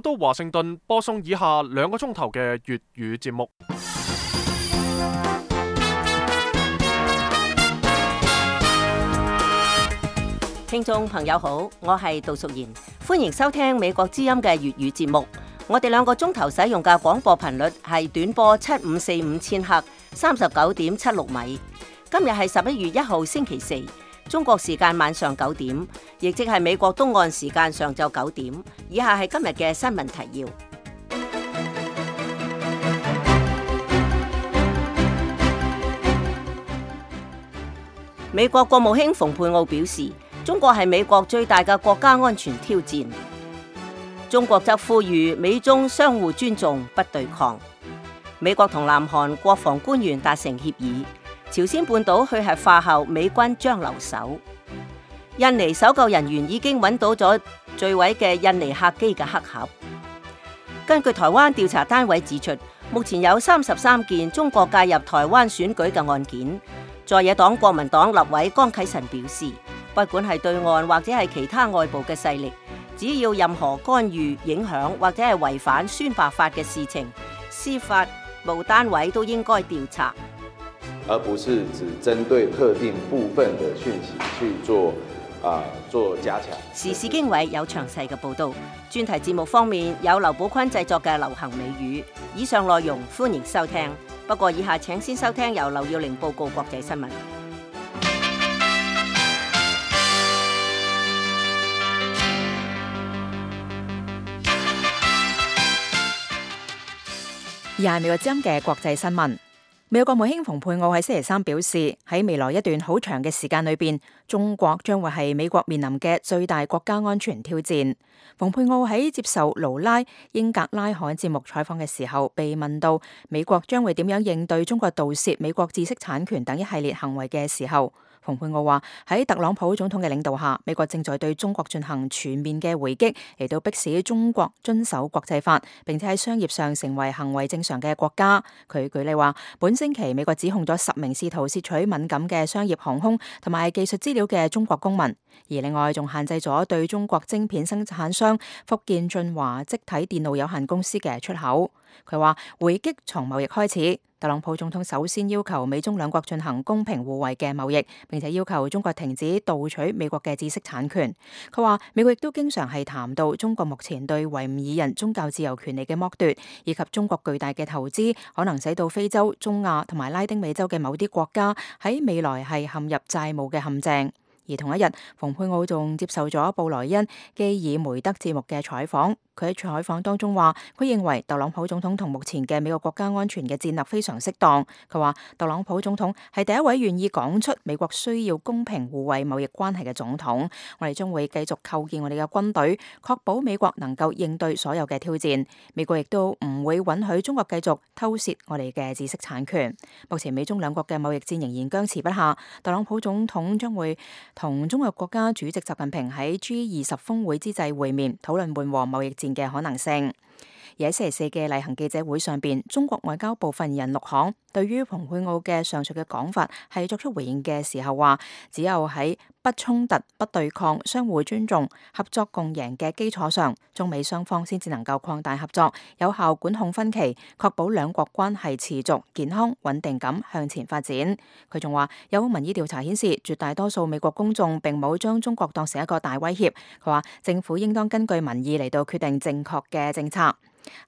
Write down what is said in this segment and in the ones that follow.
到華盛頓播送以下2個鐘頭嘅粵語節目。聽眾朋友好，我係杜淑賢，歡迎收聽美國之音嘅粵語節目。我哋2個鐘頭使用嘅廣播頻率係短波7545千赫，39.76米。今日係11月1號星期四，中國時間晚上9點，亦即係美國東岸時間上晝9點。以下係今日嘅新聞提要。美國國務卿蓬佩奧表示，中國係美國最大嘅國家安全挑戰。中國則呼籲美中相互尊重，不對抗。美國同南韓國防官員達成協議，朝鮮半島去核化後，美軍將留守。印尼搜救人員已經揾到咗墜毀嘅印尼客機嘅黑盒。根據台灣調查單位指出，目前有33件中國介入台灣選舉嘅案件。在野黨國民黨立委江啟臣表示，不管係對岸或者係其他外部嘅勢力，只要任何干預、影響或者係違反宣罷法嘅事情，司法部單位都應該調查，而不是只針對特定部分嘅訊息去做加強。時事經緯有詳細嘅報導。專題節目方面有劉寶坤製作嘅流行美語。以上內容歡迎收聽。不過以下請先收聽由劉耀玲報告國際新聞。以下係美國之音嘅國際新聞。美國國務卿蓬佩奧喺星期三表示，喺未來一段好長嘅時間裏邊，中國將會係美國面臨嘅最大國家安全挑戰。蓬佩奧喺接受盧拉英格拉罕節目採訪嘅時候，被問到美國將會點樣應對中國盜竊美國知識產權等一系列行為嘅時候，蓬佩奧話喺特朗普總統嘅領導下，美國正在對中國進行全面嘅回擊，嚟到迫使中國遵守國際法，並且喺商業上成為行為正常嘅國家。佢舉例話，本星期美國指控咗10名試圖竊取敏感嘅商業航空同埋技術資料嘅中國公民，而另外仲限制咗對中國晶片生產商福建晉華積體電路有限公司嘅出口。佢話回擊從貿易開始，特朗普總統首先要求美中兩國進行公平互惠嘅貿易，並且要求中國停止盜取美國嘅知識產權。佢話美國亦都經常係談到中國目前對維吾爾人宗教自由權利嘅剝奪，以及中國巨大嘅投資可能使到非洲、中亞同埋拉丁美洲嘅某啲國家喺未來係陷入債務嘅陷阱。而同一日，蓬佩奧仲接受咗布萊恩基爾梅德節目嘅採訪。佢喺採訪當中話，佢認為特朗普總統同目前嘅美國國家安全嘅戰略非常適當。佢話特朗普總統係第一位願意講出美國需要公平互惠貿易關係嘅總統。我哋將會繼續構建我哋嘅軍隊，確保美國能夠應對所有嘅挑戰。美國亦都唔會允許中國繼續偷竊我哋嘅知識產權。目前美中兩國嘅貿易戰仍然僵持不下。特朗普總統將會同中國國家主席習近平喺 G20 峰會之際會面，討論緩和貿易戰嘅可能性。而喺星期四嘅例行記者會上邊，中國外交部發言人陸慷對於蓬佩奧嘅上述嘅講法係作出回應嘅時候話，只有喺不衝突、不對抗、相互尊重、合作共贏嘅基礎上，中美雙方先至能夠擴大合作，有效管控分歧，確保兩國關係持續健康穩定咁向前發展。佢仲話有民意調查顯示，絕大多數美國公眾並冇將中國當成一個大威脅。佢話政府應當根據民意嚟到決定正確嘅政策。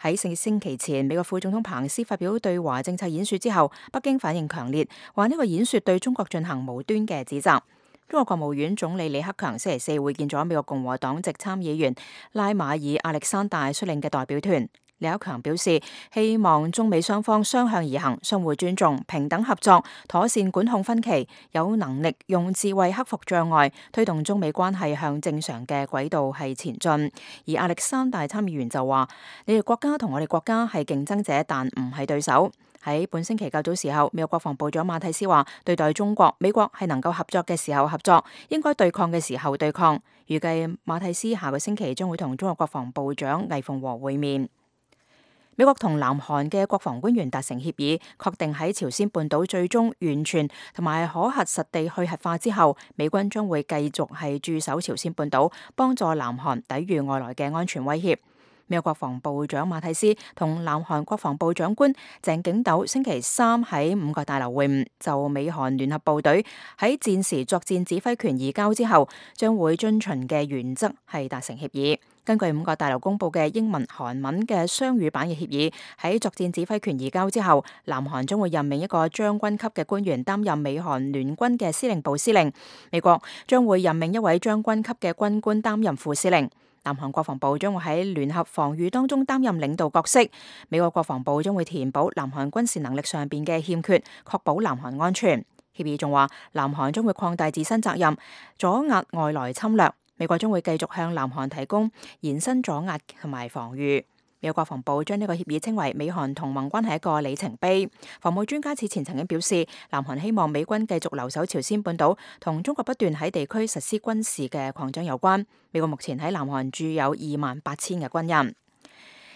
喺星期前，美國副總統彭斯發表對華政策演說之後，北京反應強烈，話呢個演說對中國進行無端嘅指責。中國國務院總理李克強星期四會見咗美國共和黨籍參議員拉馬爾亞歷山大率領嘅代表團。李克強表示，希望中美雙方相向而行，相互尊重，平等合作，妥善管控分歧，有能力用智慧克服障礙，推動中美關係向正常嘅軌道係前進。而亞歷山大參議員就話，你哋國家同我哋國家係競爭者，但唔係對手。喺本星期較早時候，美國國防部長馬蒂斯話，對待中國，美國係能夠合作嘅時候合作，應該對抗嘅時候對抗。預計馬蒂斯下個星期將會同中國國防部長魏鳳和會面。美國同南韓嘅國防官員達成協議，確定喺朝鮮半島最終完全同埋可核實地去核化之後，美軍將會繼續係駐守朝鮮半島，幫助南韓抵禦外來嘅安全威脅。美國國防部長馬蒂斯同南韓國防部長官鄭景斗星期三喺五角大樓會晤，就美韓聯合部隊喺戰時作戰指揮權移交之後將會遵循嘅原則係達成協議。根據五角大樓公佈嘅英文、韓文嘅雙語版嘅協議，喺作戰指揮權移交之後，南韓將會任命一個將軍級嘅官員擔任美韓聯軍嘅司令部司令，美國將會任命一位將軍級嘅軍官擔任副司令。南韓國防部將會喺聯合防禦當中擔任領導角色，美國國防部將會填補南韓軍事能力上邊嘅欠缺，確保南韓安全。協議仲話，南韓將會擴大自身責任，阻壓外來侵略。美國將會繼續向南韓提供延伸阻壓同埋防禦。美國國防部將呢個協議稱為美韓同盟關係一個里程碑。防務專家此前曾經表示，南韓希望美軍繼續留守朝鮮半島，同中國不斷喺地區實施軍事嘅擴張有關。美國目前喺南韓駐有28,000嘅軍人。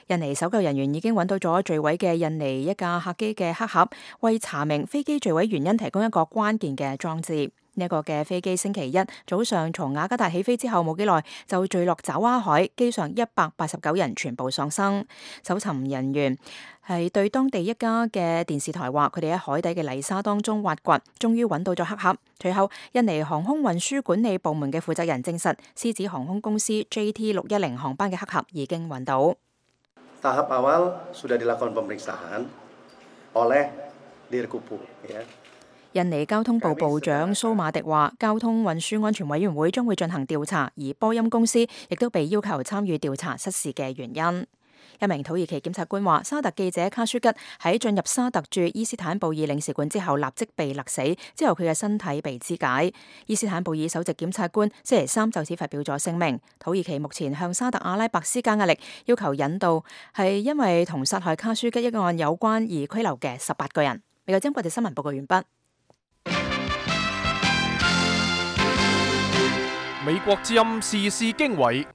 印尼搜救人員已經揾到咗墜毀嘅印尼一架客機嘅黑盒，為查明飛機墜毀原因提供一個關鍵嘅裝置。呢一個嘅飛機星期一早上從雅加達起飛之後冇幾耐就墜落爪哇海，機上189人全部喪生。搜尋人員係對當地一家嘅電視台話，佢哋喺海底嘅泥沙當中挖掘，終於揾到咗黑盒。隨後，印尼航空運輸管理部門嘅負責人證實，獅子航空公司 JT610 航班嘅黑盒已經揾到。Tahap awal sudah dilakukan pemeriksaan oleh Dirkupu. 印尼交通部部長蘇馬迪話，交通運輸安全委員會將會進行調查，而波音公司亦都被要求參與調查失事嘅原因。一名土耳其檢察官話，沙特記者卡舒吉喺進入沙特駐伊斯坦布爾領事館之後立即被勒死，之後佢嘅身體被肢解。伊斯坦布爾首席檢察官星期三就此發表咗聲明，土耳其目前向沙特阿拉伯施加壓力，要求引渡係因為同殺害卡舒吉一案有關而拘留嘅18個人。美國之音國際新聞報告完畢。美國之音時事經緯，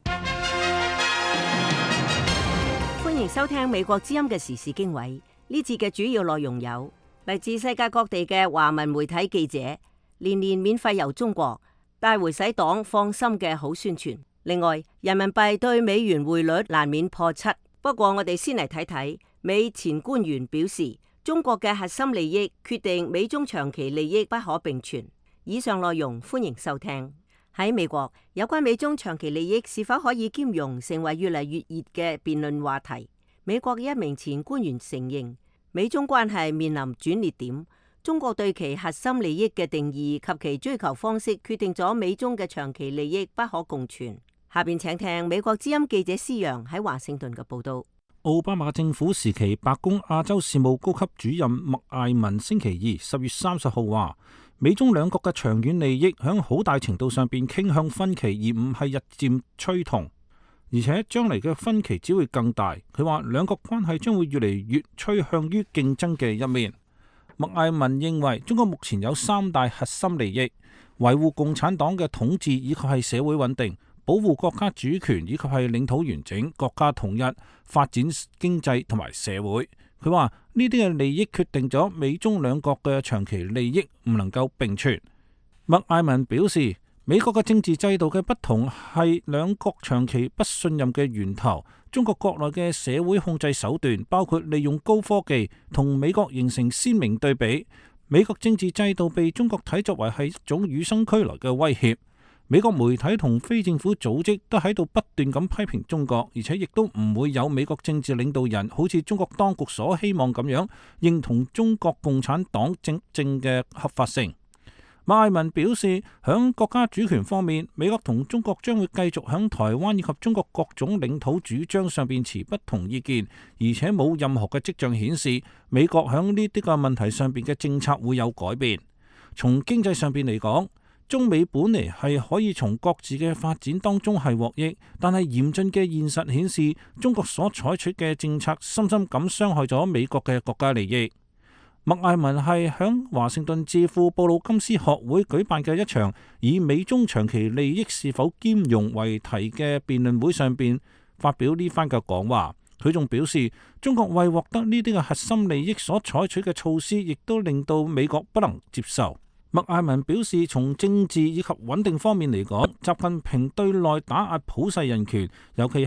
歡迎收聽美國之音嘅時事經緯。呢節嘅主要內容有嚟自世界各地嘅華文媒體記者，年年免費遊中國，帶回使黨放心嘅好宣傳。另外，人民幣對美元匯率難免破7。不過我哋先嚟睇睇美前官員表示，中國嘅核心利益決定美中長期利益不可並存。以上內容歡迎收聽。喺美國，有關美中長期利益是否可以兼容，成為越嚟越熱嘅辯論話題。美國嘅一名前官員承認，美中關係面臨轉捩點。中國對其核心利益嘅定義及其追求方式，決定咗美中嘅長期利益不可共存。下邊請聽美國之音記者施陽喺華盛頓嘅報道。奧巴馬政府時期白宮亞洲事務高級主任麥艾文星期二10月30號話，美中兩國嘅長遠利益響好大程度上邊傾向分歧，而唔係日漸趨同，而且將嚟嘅分歧只會更大。佢話兩國關係將會越嚟越趨向於競爭嘅一面。麥艾文認為中國目前有3大核心利益：維護共產黨嘅統治，以及係社會穩定；保護國家主權，以及係領土完整、國家統一、發展經濟同埋社會。佢話呢啲嘅利益決定咗美中兩國嘅長期利益唔能夠並存。麥艾文表示，美國嘅政治制度嘅不同係兩國長期不信任嘅源頭。中國國內嘅社會控制手段包括利用高科技，同美國形成鮮明對比。美國政治制度被中國睇作為係一種與生俱來嘅威脅。美國媒體同非政府組織都喺度不斷咁批評中國，而且亦都唔會有美國政治領導人好似中國當局所希望咁樣認同中國共產黨政嘅合法性。麥艾文表示，響國家主權方面，美國同中國將會繼續響台灣以及中國各種領土主張上邊持不同意見，而且冇任何嘅跡象顯示美國響呢啲個問題上邊嘅政策會有改變。從經濟上邊嚟講，中美本嚟係可以從各自嘅發展當中係獲益，但係嚴峻嘅現實顯示，中國所採取嘅政策深深咁傷害咗美國嘅國家利益。麥艾文係響華盛頓智庫布魯金斯學會舉辦嘅一場以美中長期利益是否兼容為題嘅辯論會上邊發表呢番嘅講話。佢仲表示，中國為獲得呢啲嘅核心利益所採取嘅措施，亦都令到美國不能接受。麥艾文表示，從政治以及穩定方面嚟講，習近平對內打壓普世人權，尤其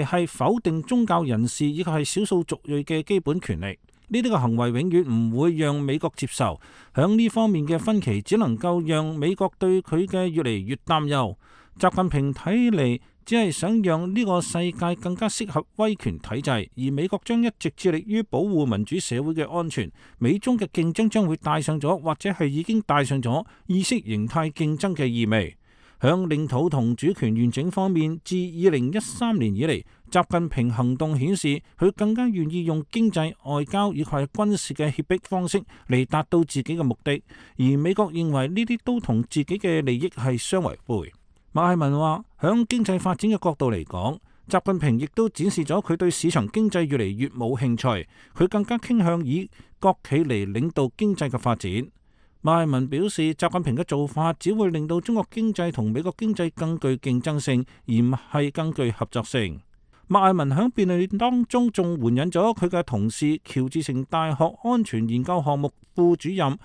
係否定宗教人士以及係少數族裔嘅基本權利。呢啲嘅行為永遠唔會讓美國接受。響呢方面嘅分歧，只能夠讓美國對佢嘅越嚟越擔憂。習近平睇嚟只係想讓呢個世界更加適合威權體制，而美國將一直致力於保護民主社會嘅安全。美中嘅競爭將會帶上咗，或者係已經帶上咗意識形態競爭嘅意味。響領土同主權完整方面，自2013年以嚟，習近平行動顯示佢更加願意用經濟、外交以及係軍事嘅脅迫方式嚟達到自己嘅目的，而美國認為呢啲都同自己嘅利益係相違背。麥艾文話，響經濟發展嘅角度嚟講，習近平亦都展示咗佢對市場經濟越嚟越冇興趣，佢更加傾向以國企嚟領導經濟嘅發展。麥艾文表示，習近平嘅做法只會令到中國經濟同美國經濟更具競爭性，而唔係更具合作性。麥艾文喺辯論當中仲援引咗佢嘅同事喬治城大學安全研究項目副主任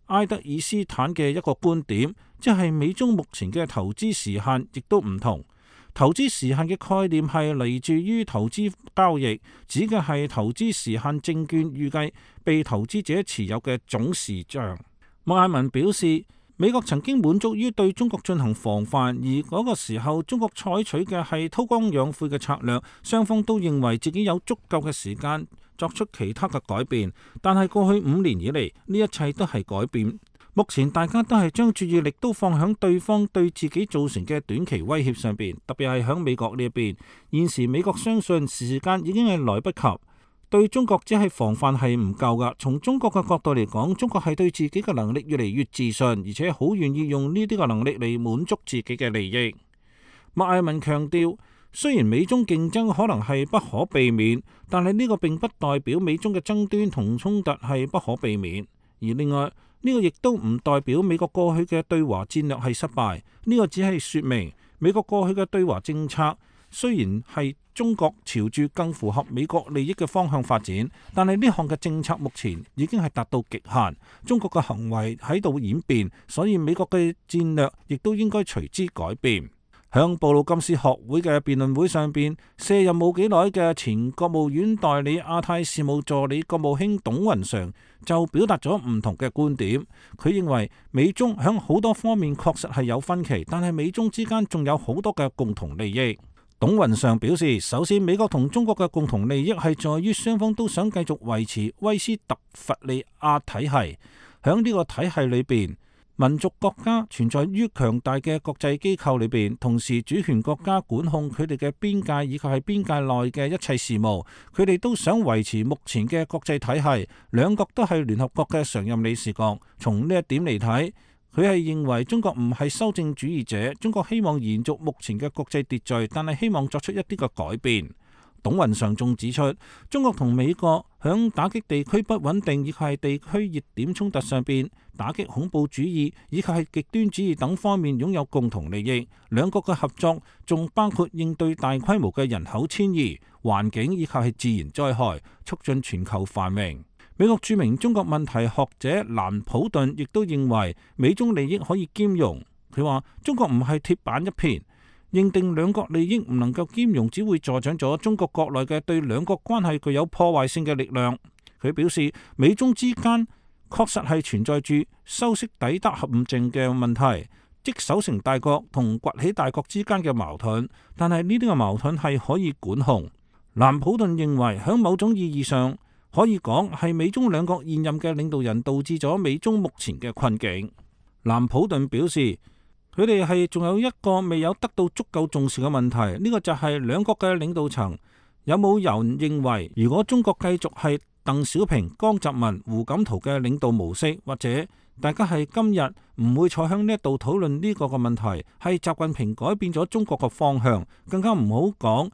埃德爾斯坦嘅一個觀點，即係美中目前嘅投資時限亦都唔同。投資時限嘅概念係嚟自於投資交易，指嘅係投資時限證券預計被投資者持有嘅總時長。麥艾文表示，美國曾經滿足於對中國進行防範，而嗰個時候中國採取嘅係韜光養晦嘅策略，雙方都認為自己有足夠嘅時間作出其他嘅改變。但係過去5年以嚟，呢一切都係改變。目前大家都係將注意力都放響對方對自己造成嘅短期威脅上邊，特別係響美國呢一邊。現時美國相信時間已經係來不及。對中國只係防範係唔夠噶。從中國嘅角度嚟講，中國係對自己嘅能力越嚟越自信，而且好願意用呢啲嘅能力嚟滿足自己嘅利益。麥艾文強調，雖然美中競爭可能係不可避免，但係呢個並不代表美中嘅爭端同衝突係不可避免。而另外呢個亦都唔代表美國過去嘅對華戰略係失敗。呢個只係說明美國過去嘅對華政策雖然係中國朝住更符合美國利益嘅方向發展，但係呢項嘅政策目前已經係達到極限，中國嘅行為喺度演變，所以美國嘅戰略亦都應該隨之改變。響布魯金斯學會嘅辯論會上邊，卸任冇幾耐嘅前國務院代理亞太事務助理國務卿董雲常就表達咗唔同嘅觀點。佢認為美中響好多方面確實係有分歧，但係美中之間仲有好多嘅共同利益。董雲常表示，首先美國同中國嘅共同利益係在於雙方都想繼續維持威斯特伐利亞體系。響呢個體系裏邊，民族國家存在於強大嘅國際機構裏邊，同時主權國家管控佢哋嘅邊界以及係邊界內嘅一切事務。佢哋都想維持目前嘅國際體系。兩國都係聯合國嘅常任理事國。從呢一點嚟睇，佢係認為中國唔係修正主義者，中國希望延續目前嘅國際秩序，但係希望作出一啲嘅改變。董雲常仲指出，中國同美國響打擊地區不穩定以及係地區熱點衝突上邊，打擊恐怖主義以及係極端主義等方面擁有共同利益。兩國嘅合作仲包括應對大規模嘅人口遷移、環境以及係自然災害，促進全球繁榮。美國著名中國問題學者蘭普頓亦都認為美中利益可以兼容。佢話中國唔係鐵板一片，認定兩國利益唔能夠兼容，只會助長咗中國國內嘅對兩國關係具有破壞性嘅力量。佢表示，美中之間確實係存在住修昔底德陷阱嘅問題，即守成大國同崛起大國之間嘅矛盾，但係呢啲嘅矛盾係可以管控。蘭普頓認為喺某種意義上，可以講係美中兩國現任嘅領導人導致咗美中目前嘅困境。蘭普頓表示，佢哋係仲有一個未有得到足夠重視嘅問題，呢個就係兩國嘅領導層有冇人認為，如果中國繼續係鄧小平、江澤民、胡錦濤嘅領導模式，或者大家係今日唔會坐響呢一度討論呢個嘅問題，係習近平改變咗中國嘅方向，更加唔好講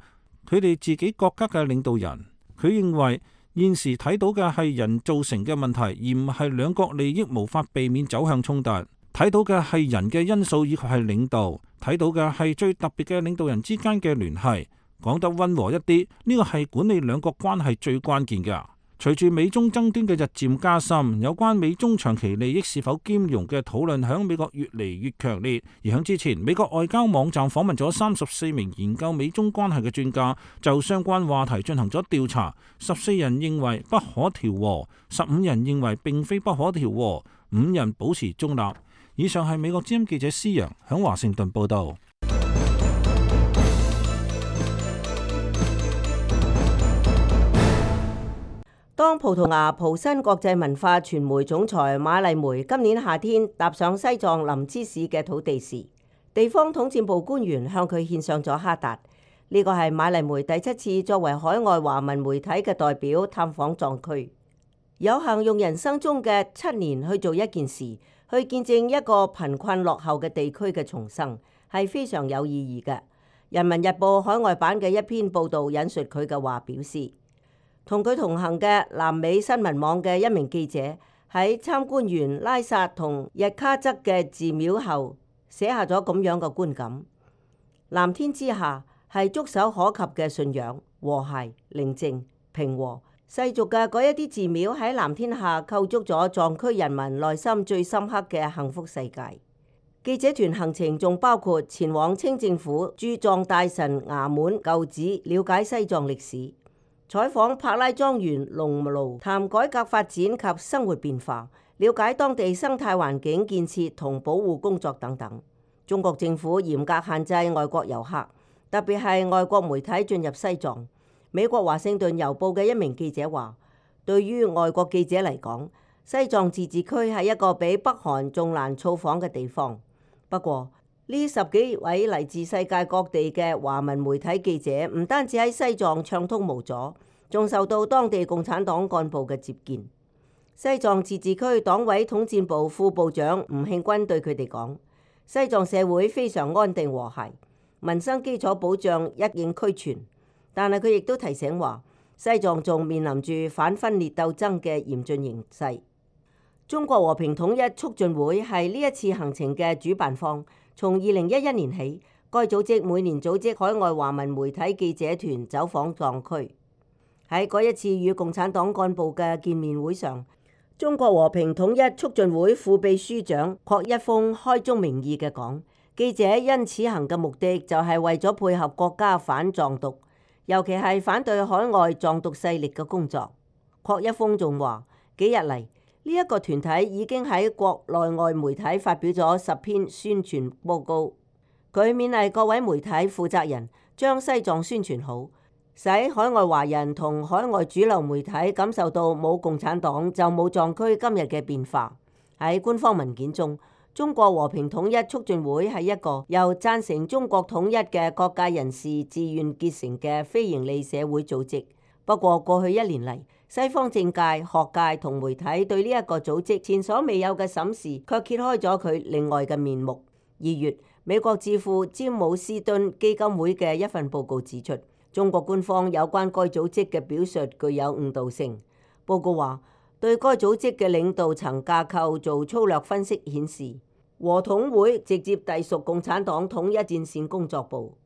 佢哋自己國家嘅領導人。佢認為現時睇到嘅係人造成嘅問題，而唔係兩國利益無法避免走向衝突。睇到嘅係人嘅因素以及係領導，睇到嘅係最特別嘅領導人之間嘅聯繫。講得溫和一啲，呢個係管理兩國關係最關鍵嘅。隨住美中爭端嘅日漸加深，有關美中長期利益是否兼容嘅討論響美國越嚟越強烈。而響之前，美國外交網站訪問咗34名研究美中關係嘅專家，就相關話題進行咗調查。14人認為不可調和，15人認為並非不可調和，5人保持中立。以上係美國之音記者施陽響華盛頓報道。當葡萄牙葡新國際文化傳媒總裁馬麗梅今年夏天踏上西藏林芝市嘅土地時，地方統戰部官員向佢獻上咗哈達。呢個係馬麗梅第7次作為海外華文媒體嘅代表探訪藏區，有幸用人生中嘅7年去做一件事，去見證一個貧困落後嘅地區嘅重生，係非常有意義嘅。人民日報海外版嘅一篇報導引述佢嘅話表示，同佢同行嘅南美新聞網嘅一名記者喺參觀完拉薩同日喀則嘅寺廟後，寫下咗咁樣嘅觀感：藍天之下係觸手可及嘅信仰、和諧、寧靜、平和。世俗嘅嗰一啲寺廟喺藍天下構築咗藏區人民內心最深刻嘅幸福世界。記者團行程仲包括前往清政府駐藏大臣衙門舊址，了解西藏歷史。採訪柏拉莊園農奴，談改革發展及生活變化，了解當地生態環境建設同保護工作等等。中國政府嚴格限制外國遊客，特別係外國媒體進入西藏。美國華盛頓郵報嘅一名記者話，對於外國記者嚟講，西藏自治區係一個比北韓仲難造訪嘅地方。不過，呢10幾位嚟自世界各地嘅華文媒體記者，唔單止喺西藏暢通無阻，仲受到當地共產黨幹部嘅接見。西藏自治區黨委統戰部副部長吳慶軍對佢哋講：西藏社會非常安定和諧，民生基礎保障一應俱全。但係佢亦都提醒話，西藏仲面臨住反分裂鬥爭嘅嚴峻形勢。中國和平統一促進會係呢一次行程嘅主辦方。從2011年起，該組織每年組織海外華文媒體記者團走訪藏區。喺嗰一次與共產黨幹部嘅見面會上，中國和平統一促進會副秘書長郭一峰開宗明義嘅講：記者因此行嘅目的就係為咗配合國家反藏獨，尤其係反對海外藏獨勢力嘅工作。郭一峰仲話：幾日嚟，呢一個團體已經喺國內外媒體發表咗10篇宣傳報告。佢勉勵各位媒體負責人將西藏宣傳好，使海外華人同海外主流媒體感受到冇共產黨就冇藏區今日嘅變化。喺官方文件中，中國和平統一促進會係一個由贊成中國統一嘅各界人士自願結成嘅非營利社會組織。不過過去1年嚟，西方政界、學界同媒體對呢一個組織前所未有嘅審視，卻揭開咗佢另外嘅面目。2月，美國智庫詹姆斯敦基金會嘅一份報告指出，中國官方有關該組織嘅表述具有誤導性。報告話，對該組織嘅領導層架構做粗略分析，顯示和統會直接隸屬共產黨統一戰線工作部。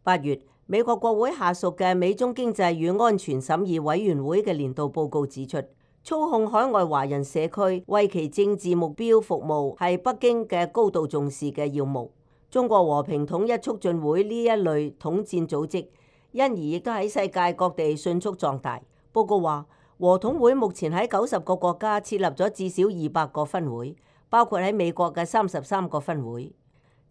8月，美國國會下屬嘅美中經濟與安全審議委員會嘅年度報告指出，操控海外華人社區為其政治目標服務係北京嘅高度重視嘅要務。中國和平統一促進會呢一類統戰組織，因而亦都喺世界各地迅速壯大。報告話，和統會目前喺90個國家設立咗至少200個分會，包括喺美國嘅33個分會。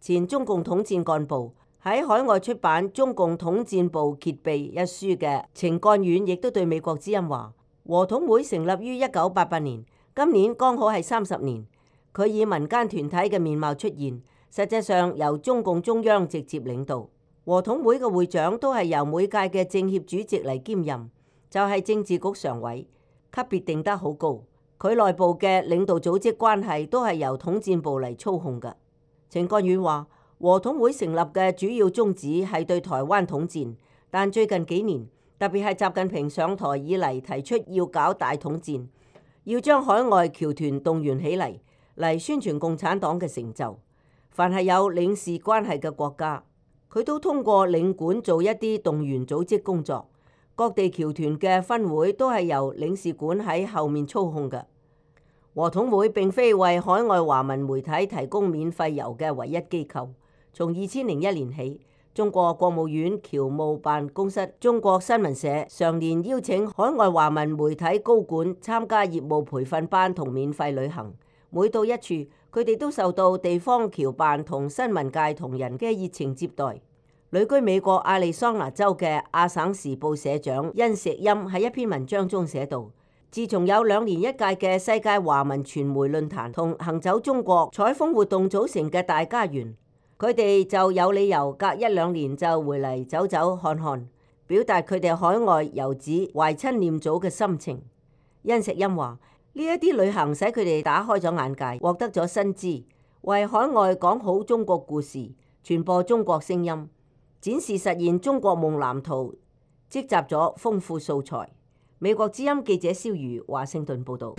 前中共統戰幹部喺海外出版《中共統戰部揭秘》一書嘅程幹遠亦都對美國之音話：和統會成立於1988年，今年剛好係30年。佢以民間團體嘅面貌出現，實際上由中共中央直接領導。和統會嘅會長都係由每屆嘅政協主席嚟兼任，就係政治局常委，級別定得好高。佢內部嘅領導組織關係都係由統戰部嚟操控嘅。程幹遠話：和統會成立嘅主要宗旨係對台灣統戰，但最近幾年，特別係習近平上台以嚟，提出要搞大統戰，要將海外僑團動員起嚟宣傳共產黨嘅成就。凡係有領事關係嘅國家，佢都通過領館做一啲動員組織工作。各地僑團嘅分會都係由領事館喺後面操控嘅。和統會並非為海外華文媒體提供免費郵嘅唯一機構。從2001年起，中國國務院僑務辦公室、中國新聞社常年邀請海外華文媒體高管參加業務培訓班同免費旅行。每到一處，佢哋都受到地方僑辦同新聞界同仁嘅熱情接待。旅居美國亞利桑那州嘅亞省時報社長殷石欽喺一篇文章中寫道：自從有2年1屆嘅世界華文傳媒論壇同行走中國採風活動組成嘅大家園，佢哋就有理由隔1-2年就回嚟走走看看，表達佢哋海外遊子懷親念祖嘅心情。殷石欽話：呢一啲旅行使佢哋打開咗眼界，獲得咗新知，為海外講好中國故事，傳播中國聲音，展示實現中國夢藍圖，積集咗豐富素材。美國之音記者蕭如華盛頓報導。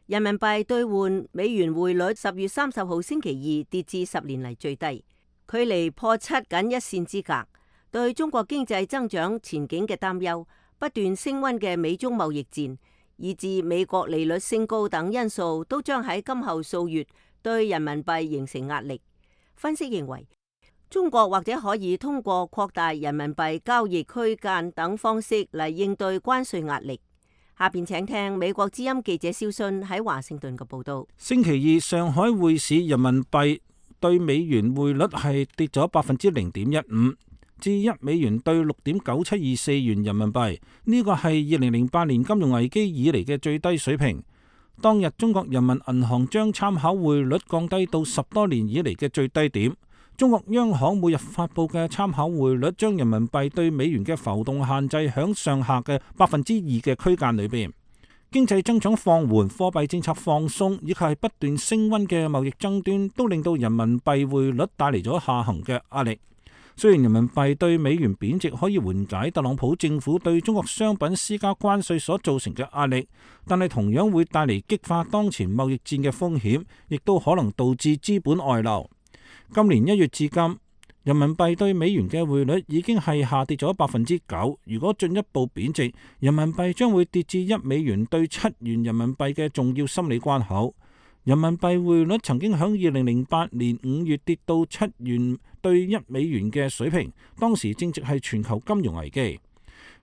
人民幣兌換美元匯率10月30號星期二跌至10年嚟最低，距離破7僅一線之隔。對中國經濟增長前景嘅擔憂、不斷升溫嘅美中貿易戰，以至美國利率升高等因素，都將喺今後數月對人民幣形成壓力。分析認為，中國或者可以通過擴大人民幣交易區間等方式嚟應對關稅壓力。下邊請聽美國之音記者蕭信喺華盛頓嘅報道。星期二上海匯市人民幣對美元匯率係跌咗0.15%，至1美元對6.9724元人民幣，呢個係2008年金融危機以嚟嘅最低水平。當日中國人民銀行將參考匯率降低到10多年以嚟嘅最低點。中國央行每日發佈嘅參考匯率將人民幣對美元嘅浮動限制響上下嘅2%嘅區間裏邊。經濟增長放緩、貨幣政策放鬆以及係不斷升溫嘅貿易爭端，都令到人民幣匯率帶嚟咗下行嘅壓力。雖然人民幣對美元貶值可以緩解特朗普政府對中國商品施加關稅所造成嘅壓力，但係同樣會帶嚟激化當前貿易戰嘅風險，亦都可能導致資本外流。今年1月至今，人民幣對美元嘅匯率已經係下跌咗9%。如果進一步貶值，人民幣將會跌至1美元對7元人民幣嘅重要心理關口。人民幣匯率曾經喺2008年5月跌到7元對1美元嘅水平，當時正值係全球金融危機。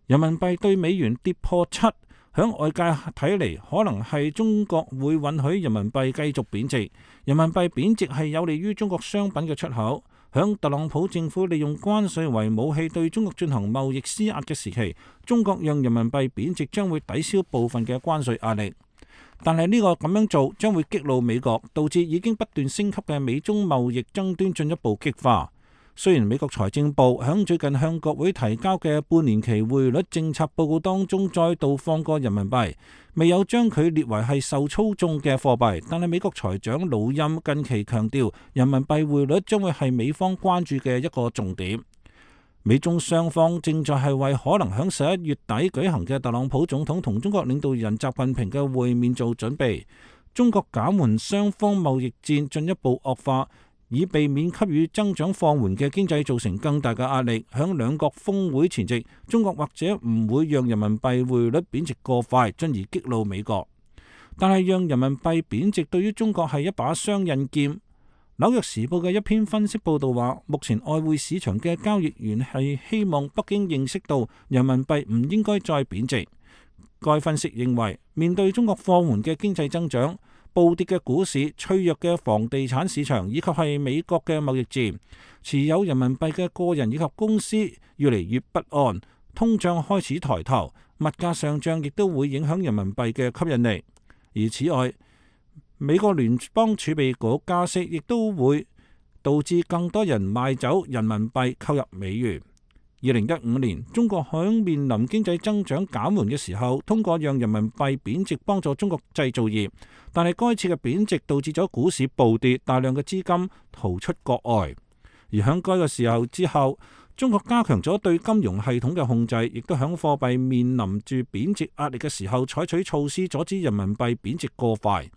人民幣對美元跌破7，響外界睇嚟，可能係中國會允許人民幣繼續貶值。人民幣貶值係有利於中國商品嘅出口。響特朗普政府利用關稅為武器對中國進行貿易施壓嘅時期，中國讓人民幣貶值將會抵消部分嘅關稅壓力。但係呢個咁樣做將會激怒美國，導致已經不斷升級嘅美中貿易爭端進一步激化。雖然美國財政部響最近向國會提交嘅半年期匯率政策報告當中再度放過人民幣，未有將佢列為係受操縱嘅貨幣，但係美國財長魯欽近期強調，人民幣匯率將會係美方關注嘅一個重點。美中雙方正在係為可能響11月底舉行嘅特朗普總統同中國領導人習近平嘅會面做準備。中國減緩雙方貿易戰進一步惡化，以避免給予增長放緩嘅經濟造成更大嘅壓力。響兩國峰會前夕，中國或者唔會讓人民幣匯率貶值過快，進而激怒美國。但係讓人民幣貶值對於中國係一把雙刃劍。紐約時報嘅一篇分析報道話，目前外匯市場嘅交易員係希望北京認識到人民幣唔應該再貶值。該分析認為，面對中國放緩嘅經濟增長、暴跌嘅股市、脆弱嘅房地產市場以及係美國嘅貿易戰，持有人民幣嘅個人以及公司越嚟越不安，通脹開始抬頭，物價上漲亦都會影響人民幣嘅吸引力。而此外，美國聯邦儲備局加息亦都會導致更多人賣走人民幣購入美元。2015年，中國響面臨經濟增長減緩嘅時候，通過讓人民幣貶值幫助中國製造業，但係該次嘅貶值導致咗股市暴跌，大量嘅資金逃出國外。而響該個時候之後，中國加強咗對金融系統嘅控制，亦都響貨幣面臨住貶值壓力嘅時候採取措施阻止人民幣貶值過快。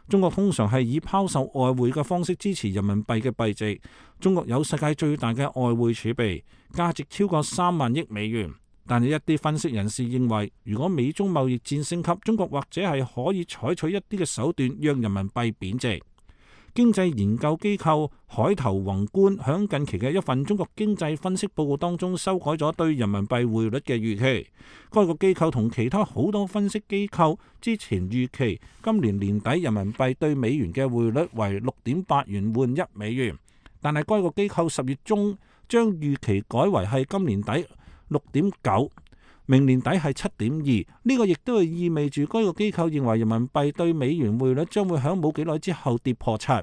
中國通常係以拋售外匯嘅方式支持人民幣嘅幣值。中國有世界最大嘅外匯儲備，價值超過3萬億美元。但係一啲分析人士認為，如果美中貿易戰升級，中國或者係可以採取一啲嘅手段，讓人民幣貶值。經濟研究機構海頭宏觀響近期嘅一份中國經濟分析報告當中修改咗對人民幣匯率嘅預期。該個機構同其他好多分析機構之前預期今年年底人民幣對美元嘅匯率為6.8元換1美元，但係該個機構10月中將預期改為係今年底6.9，明年底係7.2。呢個亦都係意味住該個機構認為人民幣對美元匯率將會喺冇幾耐之後跌破7。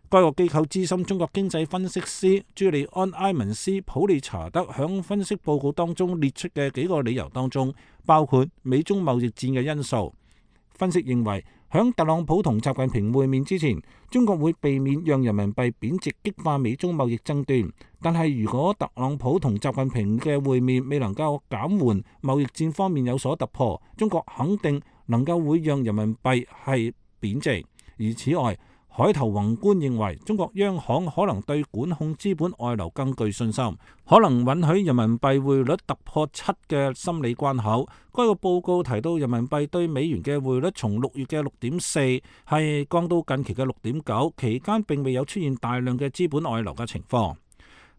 該個機構資深中國經濟分析師朱利安·埃文斯普利查德響分析報告當中列出嘅幾個理由當中，包括美中貿易戰嘅因素。分析認為，響特朗普同習近平會面之前，中國會避免讓人民幣貶值，激化美中貿易爭端。但係如果特朗普同習近平嘅會面未能夠減緩貿易戰方面有所突破，中國肯定能夠會讓人民幣係貶值。而此外，海頭宏觀認為，中國央行可能對管控資本外流更具信心，可能允許人民幣匯率突破7嘅心理關口。該個報告提到，人民幣對美元嘅匯率從6月嘅6.4係降到近期嘅6.9，期間並未有出現大量嘅資本外流嘅情況。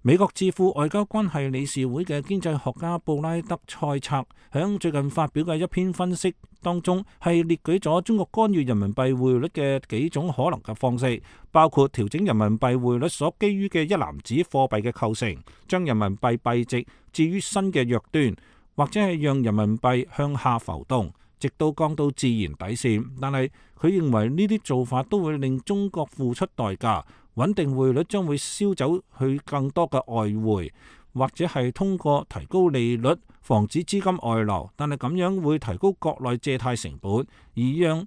美國智庫外交關係理事會嘅經濟學家布拉德塞策響最近發表嘅一篇分析當中，係列舉咗中國干預人民幣匯率嘅幾種可能嘅方式，包括調整人民幣匯率所基於嘅一籃子貨幣嘅構成，將人民幣幣值置於新嘅弱端，或者係讓人民幣向下浮動，直到降到自然底線。但係佢認為呢啲做法都會令中國付出代價。穩定匯率將會燒走去更多嘅外匯，或者係通過提高利率防止資金外流，但係咁樣會提高國內借貸成本，而讓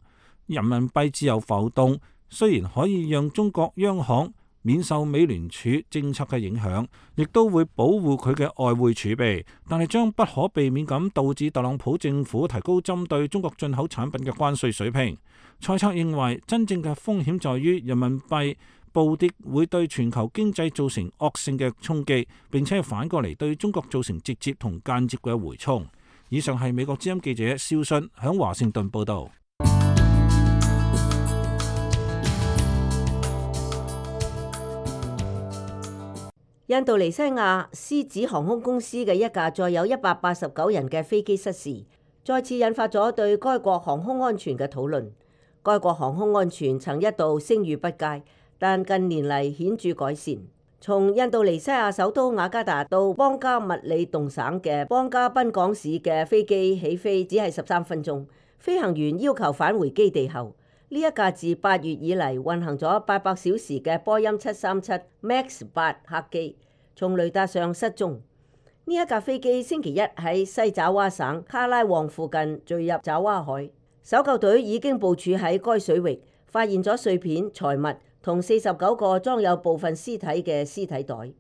人民幣自由浮動。雖然可以讓中國央行免受美聯儲政策嘅影響，亦都會保護佢嘅外匯儲備，但係將不可避免咁導致特朗普政府提高針對中國進口產品嘅關稅水平。塞策認為，真正嘅風險在於人民幣暴跌會對全球經濟造成惡性嘅衝擊，並且反過嚟對中國造成直接同間接嘅回衝。以上係美國之音記者蕭信響華盛頓報道。印度尼西亞獅子航空公司嘅一架載有189人嘅飛機失事，再次引發咗對該國航空安全嘅討論。該國航空安全曾一度聲譽不佳，但近年嚟顯著改善。從印度尼西亞首都雅加達到邦加密里動省嘅邦加賓港市嘅飛機起飛只係13分鐘。飛行員要求返回基地後，呢一架自8月以嚟運行咗800小時嘅波音737 MAX 8客機，從雷達上失蹤。呢一架飛機星期一喺西爪哇省卡拉旺附近墜入爪哇海，搜救隊已經部署喺該水域，發現咗碎片、財物同49個裝有部分屍體嘅屍體袋，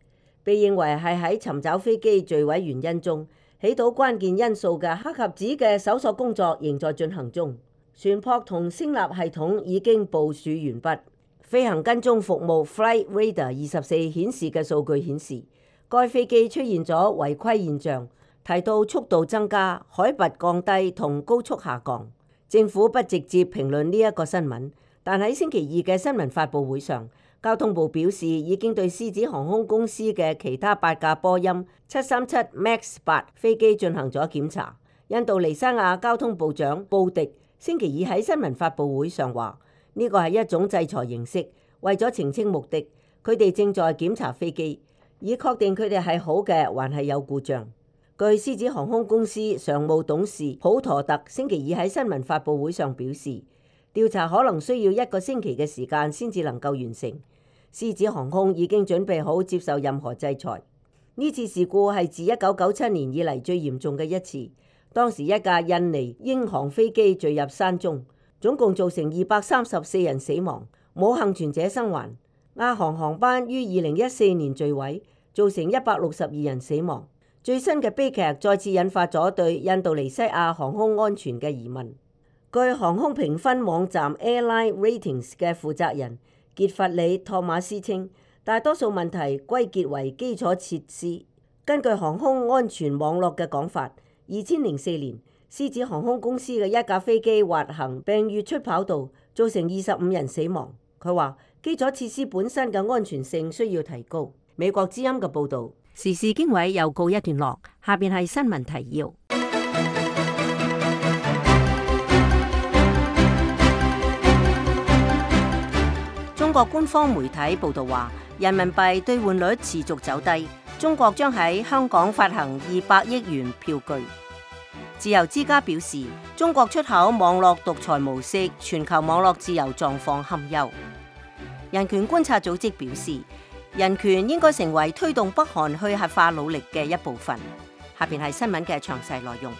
被認為係喺尋找飛機墜毀原因中起到關鍵因素嘅黑盒子嘅搜索工作仍在進行中。船舶同聲納系統已經部署完畢。飛行跟蹤服務 Flight Radar 24顯示嘅數據顯示，該飛機出現咗違規現象，提到速度增加、海拔降低同高速下降。政府不直接評論呢一個新聞。但喺星期二嘅新聞發佈會上，交通部表示已經對獅子航空公司嘅其他8架波音737 MAX 8飛機進行咗檢查。印度尼西亞交通部長布迪星期二喺新聞發佈會上話：呢個係一種制裁形式，為咗澄清目的，佢哋正在檢查飛機，以確定佢哋係好嘅還係有故障。據獅子航空公司常務董事普陀特星期二喺新聞發佈會上表示，調查可能需要1個星期嘅時間先至能夠完成。獅子航空已經準備好接受任何制裁。呢次事故係自1997年以嚟最嚴重嘅一次。當時一架印尼英航飛機墜入山中，總共造成234人死亡，冇幸存者生還。亞航航班於2014年墜毀，造成162人死亡。最新嘅悲劇再次引發咗對印度尼西亞航空安全嘅疑問。據航空評分網站 Airline Ratings 嘅負責人傑弗里·托馬斯稱，大多數問題歸結為基礎設施。根據航空安全網絡嘅講法，2004年獅子航空公司嘅一架飛機滑行並越出跑道，造成25人死亡。佢話基礎設施本身嘅安全性需要提高。美國之音嘅報導。時事經緯又告一段落，下邊係新聞提要。中國官方媒體報導話，人民幣兌換率持續走低，中國將喺香港發行200億元票據。自由之家表示，中國出口網絡獨裁模式，全球網絡自由狀況堪憂。人權觀察組織表示，人權應該成為推動北韓去核化努力嘅一部分。下邊係新聞嘅詳細內容。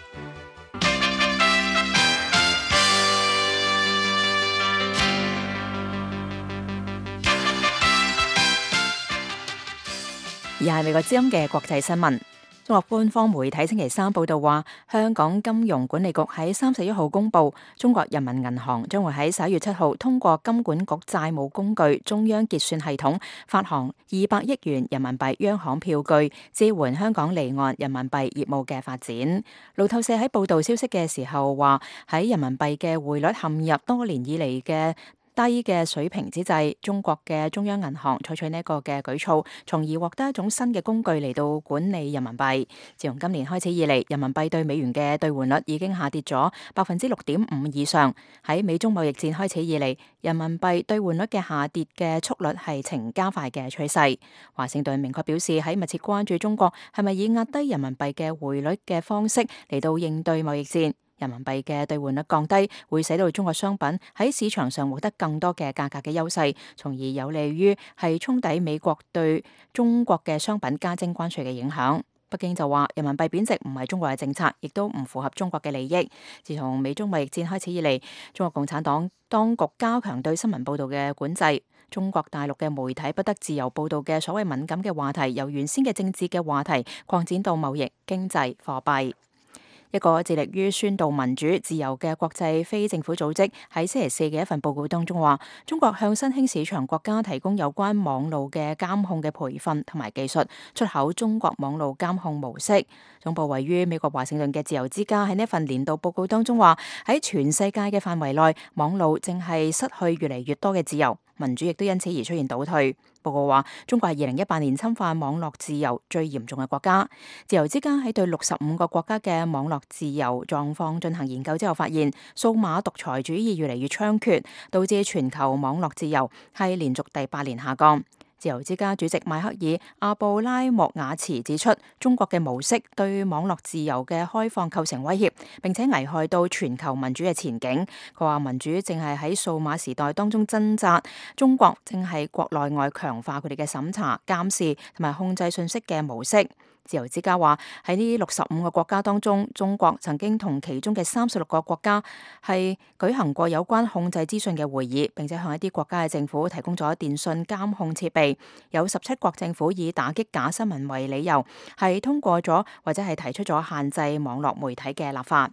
而係美國之音嘅國際新聞。中國官方媒體星期三報道話，香港金融管理局喺31號公布，中國人民銀行將會喺11月7號通過金管局債務工具中央結算系統發行200億元人民幣央行票據，支援香港離岸人民幣業務嘅發展。路透社喺報道消息嘅時候話，喺人民幣嘅匯率陷入多年以嚟嘅低嘅水平之際，中國嘅中央銀行採取呢一個嘅舉措，從而獲得一種新嘅工具嚟到管理人民幣。自從今年開始以嚟，人民幣對美元嘅兌換率已經下跌咗6.5%以上。喺美中貿易戰開始以嚟，人民幣兌換率嘅下跌嘅速率係呈加快嘅趨勢。華盛頓明確表示，喺密切關注中國係咪以壓低人民幣嘅匯率嘅方式嚟到應對貿易戰。人民幣嘅兌換率降低，會使到中國商品喺市場上獲得更多嘅價格嘅優勢，從而有利於係沖抵美國對中國嘅商品加徵關稅嘅影響。北京就話，人民幣貶值唔係中國嘅政策，亦都唔符合中國嘅利益。自從美中貿易戰開始以嚟，中國共產黨當局加強對新聞報導嘅管制，中國大陸嘅媒體不得自由報導嘅所謂敏感嘅話題，由原先嘅政治嘅話題擴展到貿易、經濟、貨幣。一個致力於宣導民主自由嘅國際非政府組織喺星期四嘅一份報告當中話，中國向新興市場國家提供有關網路嘅監控嘅培訓同埋技術，出口中國網路監控模式。總部位於美國華盛頓嘅自由之家喺呢份年度報告當中話，喺全世界嘅範圍內，網路正係失去越嚟越多嘅自由，民主亦都因此而出現倒退。報告話，中國係2018年侵犯網絡自由最嚴重嘅國家。自由之家喺對65個國家嘅網絡自由狀況進行研究之後，發現數碼獨裁主義越嚟越猖獗，導致全球網絡自由係連續第8年下降。自由之家主席邁克爾·阿布拉莫瓦茨指出，中國嘅模式對網絡自由嘅開放構成威脅，並且危害到全球民主嘅前景。佢話民主正係喺數碼時代當中掙扎，中國正係國內外強化佢哋嘅審查、監視同埋控制信息嘅模式。自由之家話喺呢65個國家當中，中國曾經同其中嘅36個國家係舉行過有關控制資訊嘅會議，並且向一啲國家嘅政府提供咗電信監控設備。有17國政府以打擊假新聞為理由，係通過咗或者係提出咗限制網絡媒體嘅立法。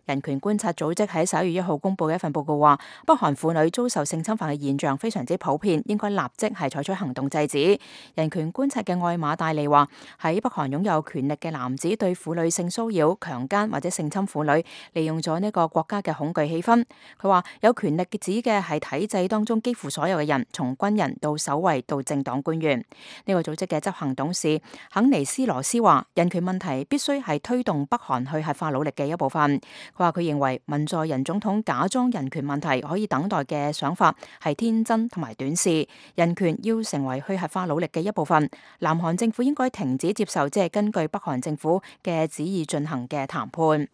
人權觀察組織喺11月1號公布嘅一份報告話，北韓婦女遭受性侵犯嘅現象非常之普遍，應該立即係採取行動制止。人權觀察嘅愛瑪戴利話，喺北韓擁有權力嘅男子對婦女性騷擾、強姦或者性侵婦女，利用咗呢個國家嘅恐懼氣氛。佢話有權力指嘅係體制當中幾乎所有嘅人，從軍人到守衛到政黨官員。呢個組織嘅執行董事肯尼斯羅斯話，人權問題必須係推動北韓去核化努力嘅一部分。佢話佢認為文在寅總統假裝人權問題可以等待嘅想法係天真同埋短視，人權要成為去核化努力嘅一部分。南韓政府應該停止接受即係根據北韓政府嘅旨意進行嘅談判。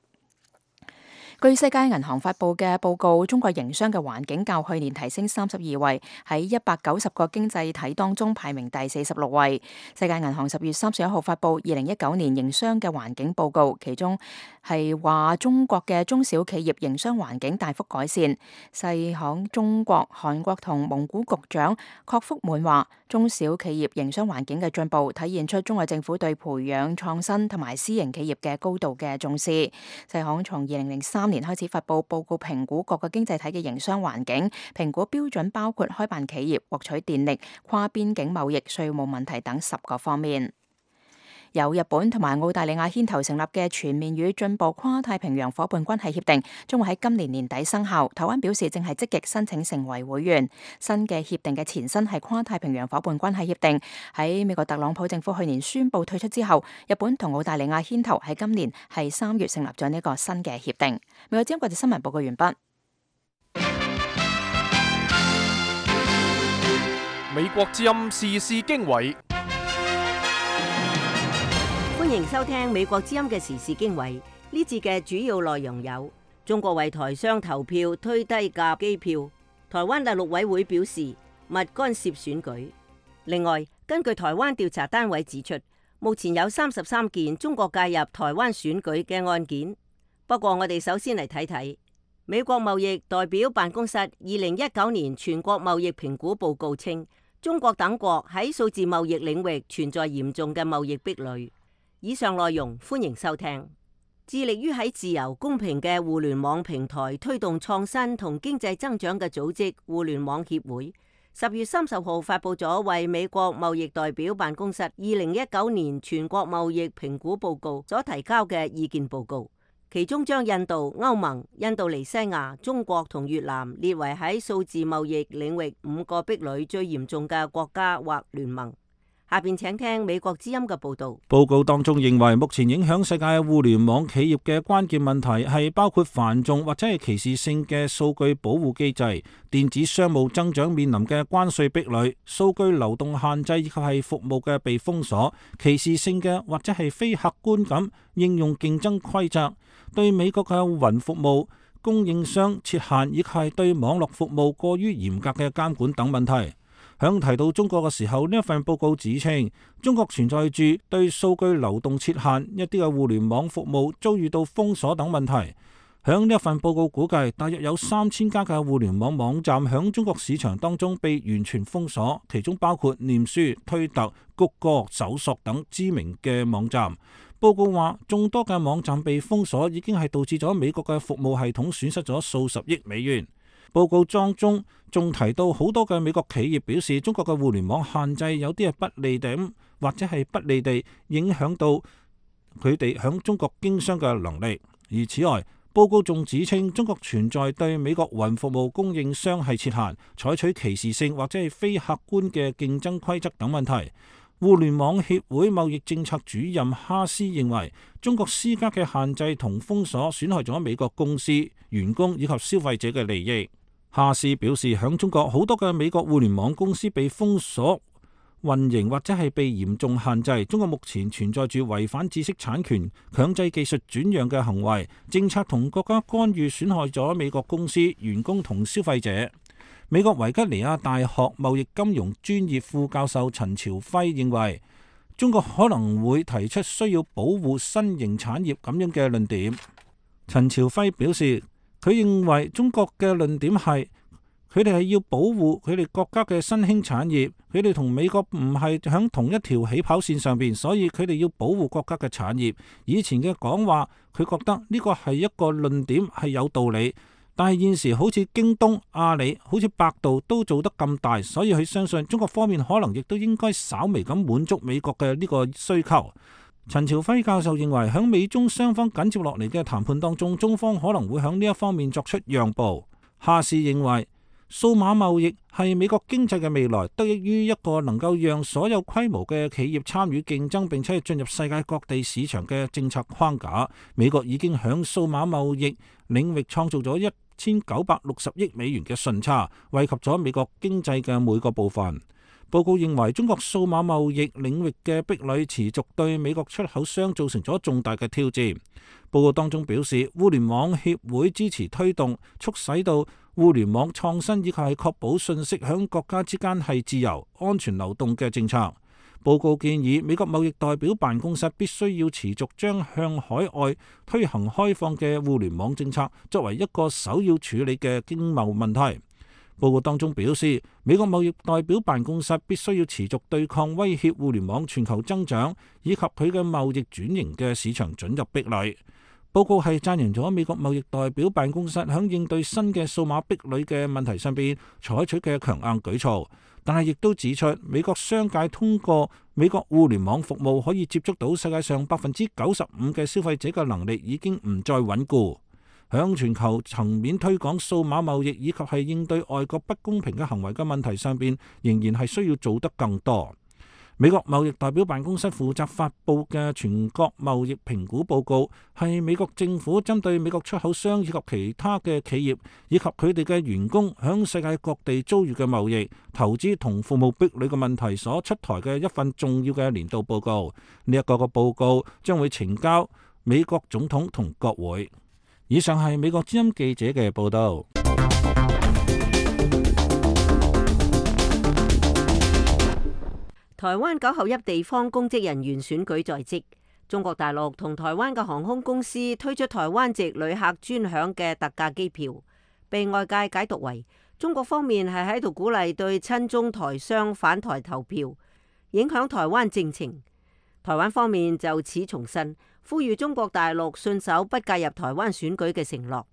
據世界銀行發佈嘅報告，中國營商嘅環境較去年提升32位，喺190個經濟體當中排名第46位。世界銀行10月31號發佈2019年營商嘅環境報告，其中係話中國嘅中小企業營商環境大幅改善。世行中國、韓國同蒙古局長郭福滿話，中小企業營商環境嘅進步體現出中國政府對培養創新同埋私營企業嘅高度嘅重視。世行從2003 2013年開始發布報告，評估各個經濟體嘅營商環境，評估標準包括開辦企業、獲取電力、跨邊境貿易、稅務問題等10個方面。由日本同埋澳大利亞牽頭成立嘅全面與進步跨太平洋夥伴關係協定將會喺今年年底生效。台灣表示正係積極申請成為會員。新嘅協定嘅前身係跨太平洋夥伴關係協定，喺美國特朗普政府去年宣布退出之後，日本同澳大利亞牽頭喺今年係3月成立咗呢個新嘅協定。美國之音國際新聞報告完畢。美國之音時事經緯。歡迎收聽美國之音嘅時事經緯。呢節嘅主要內容有：中國為台商投票推低價機票，台灣大陸委會表示勿干涉選舉。另外，根據台灣調查單位指出，目前有33件中國介入台灣選舉嘅案件。不過我哋首先嚟睇睇美國貿易代表辦公室2019年全國貿易評估報告稱，中國等國喺數字貿易領域存在嚴重嘅貿易壁壘。以上內容歡迎收聽。致力於喺自由公平嘅互聯網平台推動創新同經濟增長嘅組織互聯網協會10月30號發布咗為美國貿易代表辦公室2019年全國貿易評估報告所提交嘅意見報告，其中將印度、歐盟、印度尼西亞、中國同越南列為喺數字貿易領域5個壁壘最嚴重嘅國家或聯盟。下邊請聽美國之音嘅報道。報告當中認為，目前影響世界互聯網企業嘅關鍵問題係包括繁重或者係歧視性嘅數據保護機制、電子商務增長面臨嘅關稅壁壘、數據流動限制以及係服務嘅被封鎖、歧視性嘅或者係非客觀咁應用競爭規則、對美國嘅雲服務供應商設限以及係對網絡服務過於嚴格嘅監管等問題。響提到中國嘅時候，呢一份報告指稱，中國存在住對數據流動設限、一啲嘅互聯網服務遭遇到封鎖等問題。響呢一份報告估計，大約有3000家嘅互聯網網站響中國市場當中被完全封鎖，其中包括臉書、推特、谷歌、搜索等知名嘅網站。報告話，眾多嘅網站被封鎖已經係導致咗美國嘅服務系統損失咗數十億美元。報告當中仲提到好多嘅美國企業表示，中國嘅互聯網限制有啲係不利地或者係不利地影響到佢哋響中國經商嘅能力。而此外，報告仲指稱中國存在對美國雲服務供應商係設限、採取歧視性或者係非客觀嘅競爭規則等問題。互聯網協會貿易政策主任哈斯認為，中國施加嘅限制同封鎖損害咗美國公司、員工以及消費者嘅利益。哈斯表示，響中國好多嘅美國互聯網公司被封鎖運營或者係被嚴重限制。中國目前存在住違反知識產權、強制技術轉讓嘅行為，政策同國家干預損害咗美國公司、員工同消費者。美國維吉尼亞大學貿易金融專業副教授陳朝輝認為，中國可能會提出需要保護新型產業咁樣嘅論點。陳朝輝表示，佢認為中國嘅論點係佢哋係要保護佢哋國家嘅新興產業，佢哋同美國唔係響同一條起跑線上邊，所以佢哋要保護國家嘅產業。以前嘅講話，佢覺得呢個係一個論點係有道理，但係現時好似京東、阿里、好似百度都做得咁大，所以佢相信中國方面可能亦都應該稍微咁滿足美國嘅呢個需求。陳朝輝教授認為，響美中雙方緊接落嚟嘅談判當中，中方可能會響呢一方面作出讓步。哈士認為，數碼貿易係美國經濟嘅未來，得益於一個能夠讓所有規模嘅企業參與競爭，並且進入世界各地市場嘅政策框架。美國已經響數碼貿易領域創造咗1960億美元嘅順差，惠及咗美國經濟嘅每個部分。報告認為，中國數碼貿易領域嘅壁壘持續對美國出口商造成咗重大嘅挑戰。報告當中表示，互聯網協會支持推動促使到互聯網創新以及係確保信息響國家之間係自由、安全流動嘅政策。報告建議美國貿易代表辦公室必須要持續將向海外推行開放嘅互聯網政策作為一個首要處理嘅經貿問題。報告當中表示，美國貿易代表辦公室必須要持續對抗威脅互聯網全球增長以及佢嘅貿易轉型嘅市場准入壁壘。報告係讚揚咗美國貿易代表辦公室響應對新嘅數碼壁壘嘅問題上邊採取嘅強硬舉措，但係亦都指出美國商界通過美國互聯網服務可以接觸到世界上95%嘅消費者嘅能力已經唔再穩固。響全球層面推廣數碼貿易以及係應對外國不公平嘅行為嘅問題上邊，仍然係需要做得更多。美國貿易代表辦公室負責發布嘅全國貿易評估報告，係美國政府針對美國出口商以及其他嘅企業以及佢哋嘅員工響世界各地遭遇嘅貿易、投資同服務壁壘嘅問題所出台嘅一份重要嘅年度報告。呢一個報告將會呈交美國總統同國會。以上係美國之音記者嘅報道。台灣9合1地方公職人員選舉在即，中國大陸同台灣嘅航空公司推出台灣籍旅客專享嘅特價機票，被外界解讀為中國方面係喺度鼓勵對親中台商返台投票，影響台灣政情。台灣方面就此重申，呼籲中國大陸信守不介入台灣選舉嘅承諾。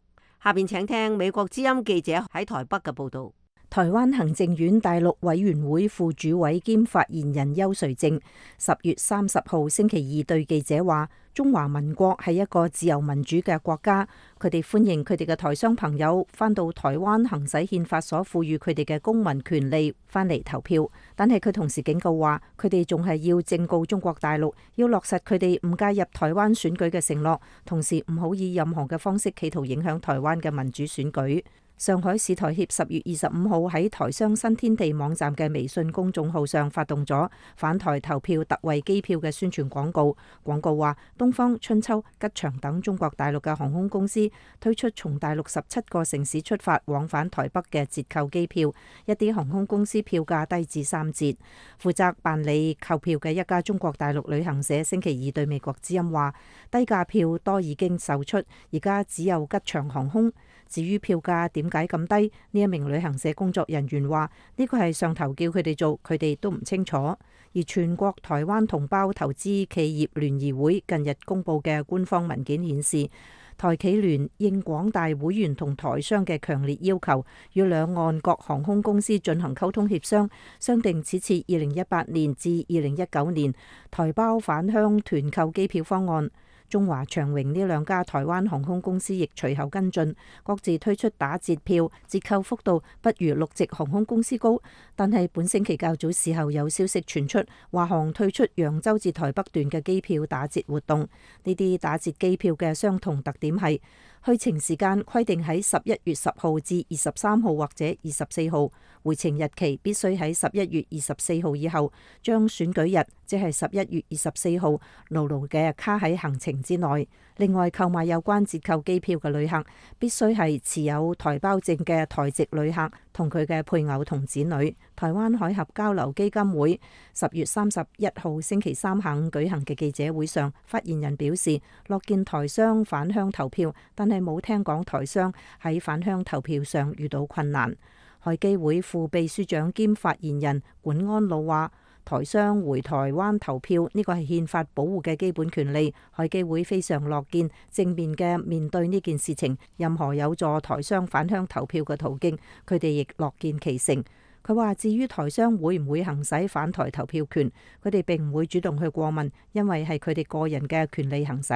下邊請聽美國之音記者喺台北嘅報道。台灣行政院大陸委員會副主委兼發言人邱垂正10月30號星期二對記者話：中華民國係一個自由民主嘅國家，佢哋歡迎佢哋嘅台商朋友返到台灣行使憲法所賦予佢哋嘅公民權利，返嚟投票。但係佢同時警告話，佢哋仲係要正告中國大陸，要落實佢哋唔介入台灣選舉嘅承諾，同時唔好以任何嘅方式企圖影響台灣嘅民主選舉。上海市台協10月25號喺台商新天地網站嘅微信公眾號上發動咗返台投票特惠機票嘅宣傳廣告。廣告話，東方、春秋、吉祥等中國大陸嘅航空公司推出從大陸17個城市出發往返台北嘅折扣機票，一啲航空公司票價低至3折。負責辦理購票嘅一家中國大陸旅行社星期二對美國之音話，低價票多已經售出，而家只有吉祥航空。至於票價點解咁低？呢一名旅行社工作人員話：呢個係上頭叫佢哋做，佢哋都唔清楚。而全國台灣同胞投資企業聯誼會近日公布嘅官方文件顯示，台企聯應廣大會員同台商嘅強烈要求，與兩岸各航空公司進行溝通協商，商定此次2018年至2019年台胞返鄉團購機票方案。中華長榮呢兩家台灣航空公司亦隨後跟進，各自推出打折票，折扣幅度不如陸籍航空公司高。但係本星期較早時候有消息傳出，華航推出揚州至台北段嘅機票打折活動。呢啲打折機票嘅相同特點係去程時間規定喺11月10號至23號或者24號，回程日期必須喺11月24號以後，將選舉日即係11月24號牢牢嘅卡喺行程之內。另外，購買有關折扣機票嘅旅客必須係持有台胞證嘅台籍旅客同佢嘅配偶同子女。台灣海峽交流基金會10月31號星期三下午舉行嘅記者會上，發言人表示樂見台商返鄉投票，但係冇聽講台商喺返鄉投票上遇到困難。海基會副秘書長兼發言人管安魯話：台商回台灣投票呢個係憲法保護嘅基本權利，海基會非常樂見正面嘅面對呢件事情，任何有助台商返鄉投票嘅途徑，佢哋亦樂見其成。佢話至於台商會唔會行使返台投票權，佢哋並唔會主動去過問，因為係佢哋個人嘅權利行使。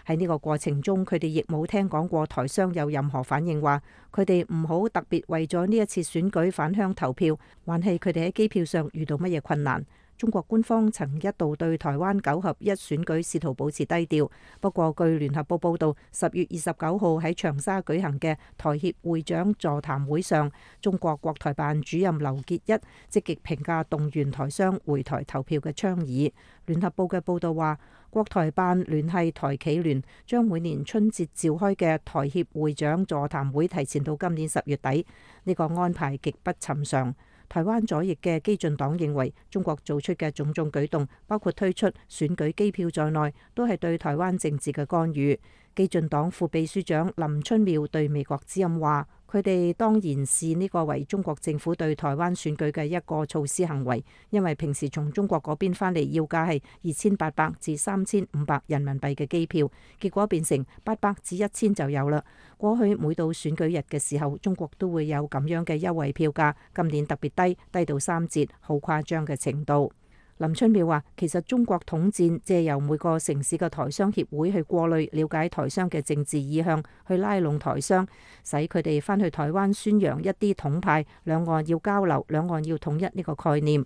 喺呢個過程中，佢哋亦冇聽講過台商有任何反應，話佢哋唔好特別為咗呢一次選舉返鄉投票，還係佢哋喺機票上遇到乜嘢困難。中國官方曾一度對台灣9合1選舉試圖保持低調，不過據聯合報報導，10月29號喺長沙舉行嘅台協會長座談會上，中國國台辦主任劉結一積極評價動員台商回台投票嘅倡議。聯合報嘅報導話，國台辦聯繫台企聯將每年春節召開嘅台協會長座談會提前到今年10月底，呢個安排極不尋常。台灣左翼嘅基進黨認為，中國做出嘅種種舉動，包括推出選舉機票在內，都係對台灣政治嘅干預。基進黨副秘書長林春妙對美國之音話：佢哋當然視呢個為中國政府對台灣選舉嘅一個措施行為，因為平時從中國嗰邊返嚟要價係2800至3500人民幣嘅機票，結果變成800至1000就有啦。過去每到選舉日嘅時候，中國都會有咁樣嘅優惠票價，今年特別低，低到3折，好誇張嘅程度。林春妙話，其實中國統戰借由每個城市嘅台商協會去過濾了解台商嘅政治意向，去拉攏台商，使佢哋返去台灣宣揚一啲統派，兩岸要交流，兩岸要統一呢個概念。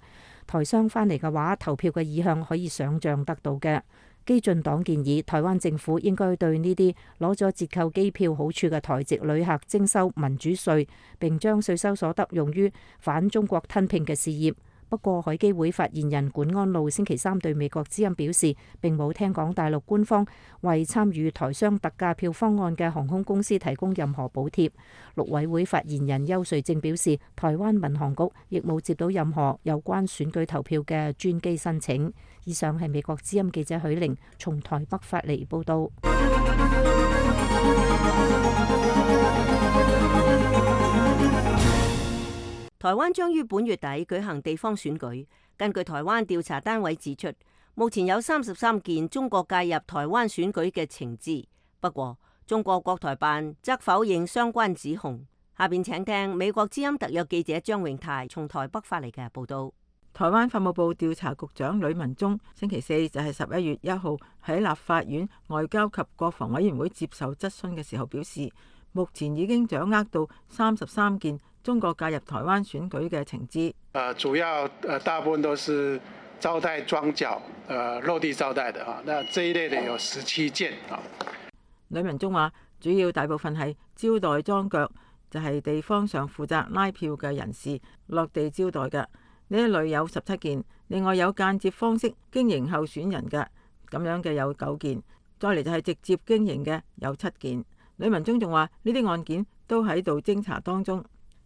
台商返嚟嘅話，投票嘅意向可以想像得到嘅。基進黨建議台灣政府應該對呢啲攞咗折扣機票好處嘅台籍旅客徵收民主稅，並將稅收所得用於反中國吞併嘅事業。不過，海基會發言人管安路星期三對美國之音表示，並冇聽講大陸官方為參與台商特價票方案嘅航空公司提供任何補貼。陸委會發言人邱瑞正表示，台灣民航局亦冇接到任何有關選舉投票嘅專機申請。以上係美國之音記者許玲從台北發嚟報道。台灣將於本月底舉行地方選舉。根據台灣調查單位指出，目前有33件中國介入台灣選舉嘅情資。不過，中國國台辦則否認相關指控。下邊請聽美國之音特約記者張永泰從台北發嚟嘅報道。台灣法務部調查局長呂文忠星期四就係11月1號喺立法院外交及國防委員會接受質詢嘅時候表示，目前已經掌握到33件中國介入台灣選舉嘅情資。主要大部分都是招待樁腳，落地招待的啊。那這一類的有17件啊。呂文忠話，主要大部分係招待樁腳，就係地方上負責拉票嘅人士落地招待嘅。呢一類有17件，另外有間接方式經營候選人嘅咁樣嘅有9件，再嚟就係直接經營嘅有7件。呂文忠仲話，呢啲案件都喺度偵查當中。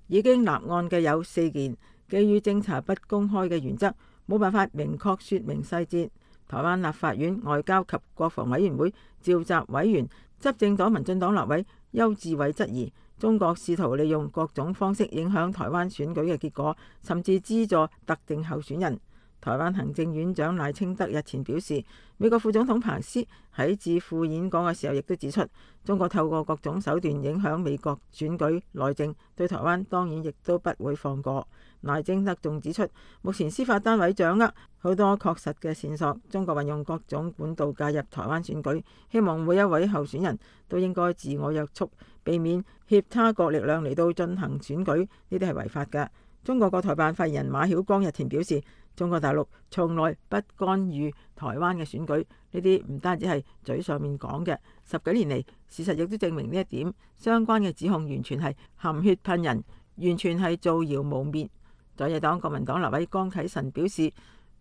已經立案嘅有4件，基於偵查不公開嘅原則，冇辦法明確說明細節。台灣立法院外交及國防委員會召集委員、執政黨民進黨立委邱志偉質疑，中國試圖利用各種方式影響台灣選舉嘅結果，甚至資助特定候選人。台灣行政院長賴清德日前表示，美國副總統彭斯喺致富演講嘅時候亦都指出，中國透過各種手段影響美國選舉內政，對台灣當然亦都不會放過。賴清德仲指出，目前司法單位掌握好多確實嘅線索，中國運用各種管道介入台灣選舉，希望每一位候選人都應該自我約束，避免挾他國力量嚟到進行選舉，呢啲係違法嘅。中國國台辦發言人馬曉光日前表示，中國大陸從來不干預台灣嘅選舉，呢啲唔單止係嘴上面講嘅，10幾年嚟事實亦都證明呢一點，相關嘅指控完全係含血噴人，完全係造謠誣衊。在野黨國民黨立委江啟臣表示，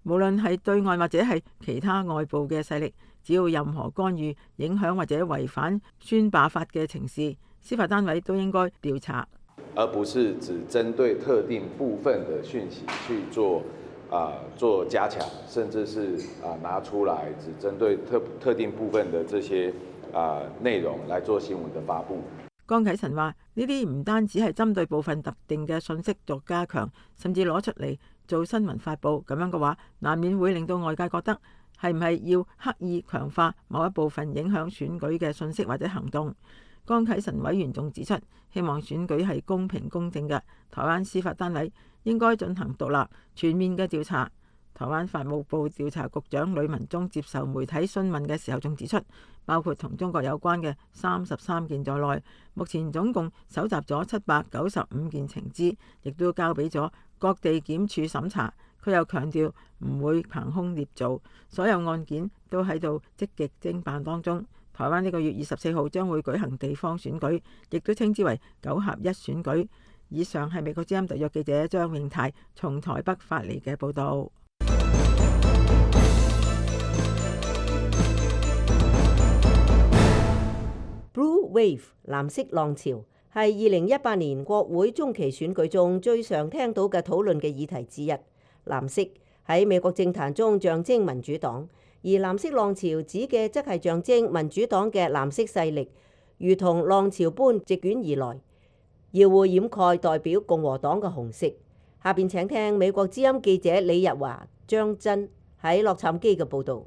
無論係對外或者係其他外部嘅勢力，只要任何干預、影響或者違反宣罷法嘅情事，司法單位都應該調查，而不是只針對特定部分的訊息去做加強，甚至是拿出來只針對特定部分的這些內容來做新聞的發布。江啟臣話：呢啲唔單止係針對部分特定嘅信息作加強，甚至攞出嚟做新聞發布，咁樣嘅話，難免會令到外界覺得係唔係要刻意強化某一部分影響選舉嘅信息或者行動。江啟臣委員仲指出，希望選舉係公平公正嘅，台灣司法單位應該進行獨立全面嘅調查。台灣法務部調查局長呂文忠接受媒體詢問嘅時候仲指出，包括同中國有關嘅33件在內，目前總共搜集咗795件情資，亦都交俾咗各地檢處審查。佢又強調唔會憑空捏造，所有案件都喺度積極偵辦當中。台灣呢個月24號將會舉行地方選舉，亦都稱之為9合1選舉。以上係美國之音特約記者張永泰從台北發嚟嘅報導。Blue Wave 藍色浪潮係2018年國會中期選舉中最常聽到嘅討論嘅議題之一。藍色喺美國政壇中象徵民主黨，而藍色浪潮指嘅則係象徵民主黨嘅藍色勢力，如同浪潮般席捲而來。耀會掩蓋代表共和黨嘅紅色。下邊請聽美國之音記者李日華、張真喺洛杉磯嘅報導。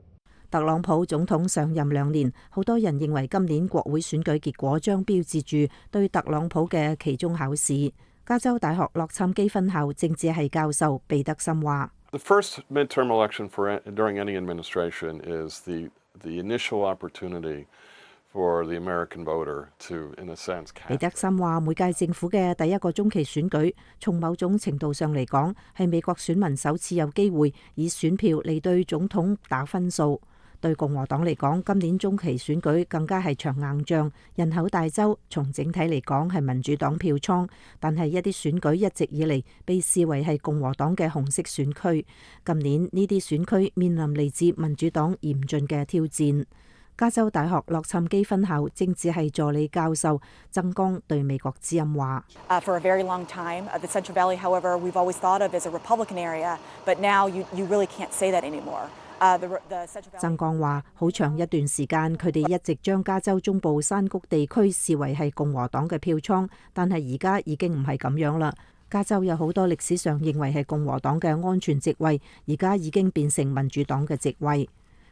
特朗普總統上任2年，好多人認為今年國會選舉結果將標誌住對特朗普嘅期中考試。加州大學洛杉磯分校政治系教授彼得森話：The first midterm election during any administration is the initial opportunity for the American voter to, in a sense, cast. 彼得森話：每屆政府嘅第一個中期選舉，從某種程度上嚟講，係美國選民首次有機會以選票嚟對總統打分數。對共和黨嚟講，今年中期選舉更加係場硬仗，人口大州，從整體嚟講係民主黨票倉，但係一啲選舉一直以嚟被視為係共和黨嘅紅色選區。今年呢啲選區面臨嚟自民主黨嚴峻嘅挑戰。加州大學洛杉磯分校政治系助理教授曾江對美國之音話：For a very long time, the Central Valley, however, we've always thought of as a Republican area, but now you really can't say that anymore. 曾江話：好長一段時間，佢哋一直將加州中部山谷地區視為係共和黨嘅票倉，但係而家已經唔係咁樣啦。加州有好多歷史上認為係共和黨嘅安全席位，而家已經變成民主黨嘅席位。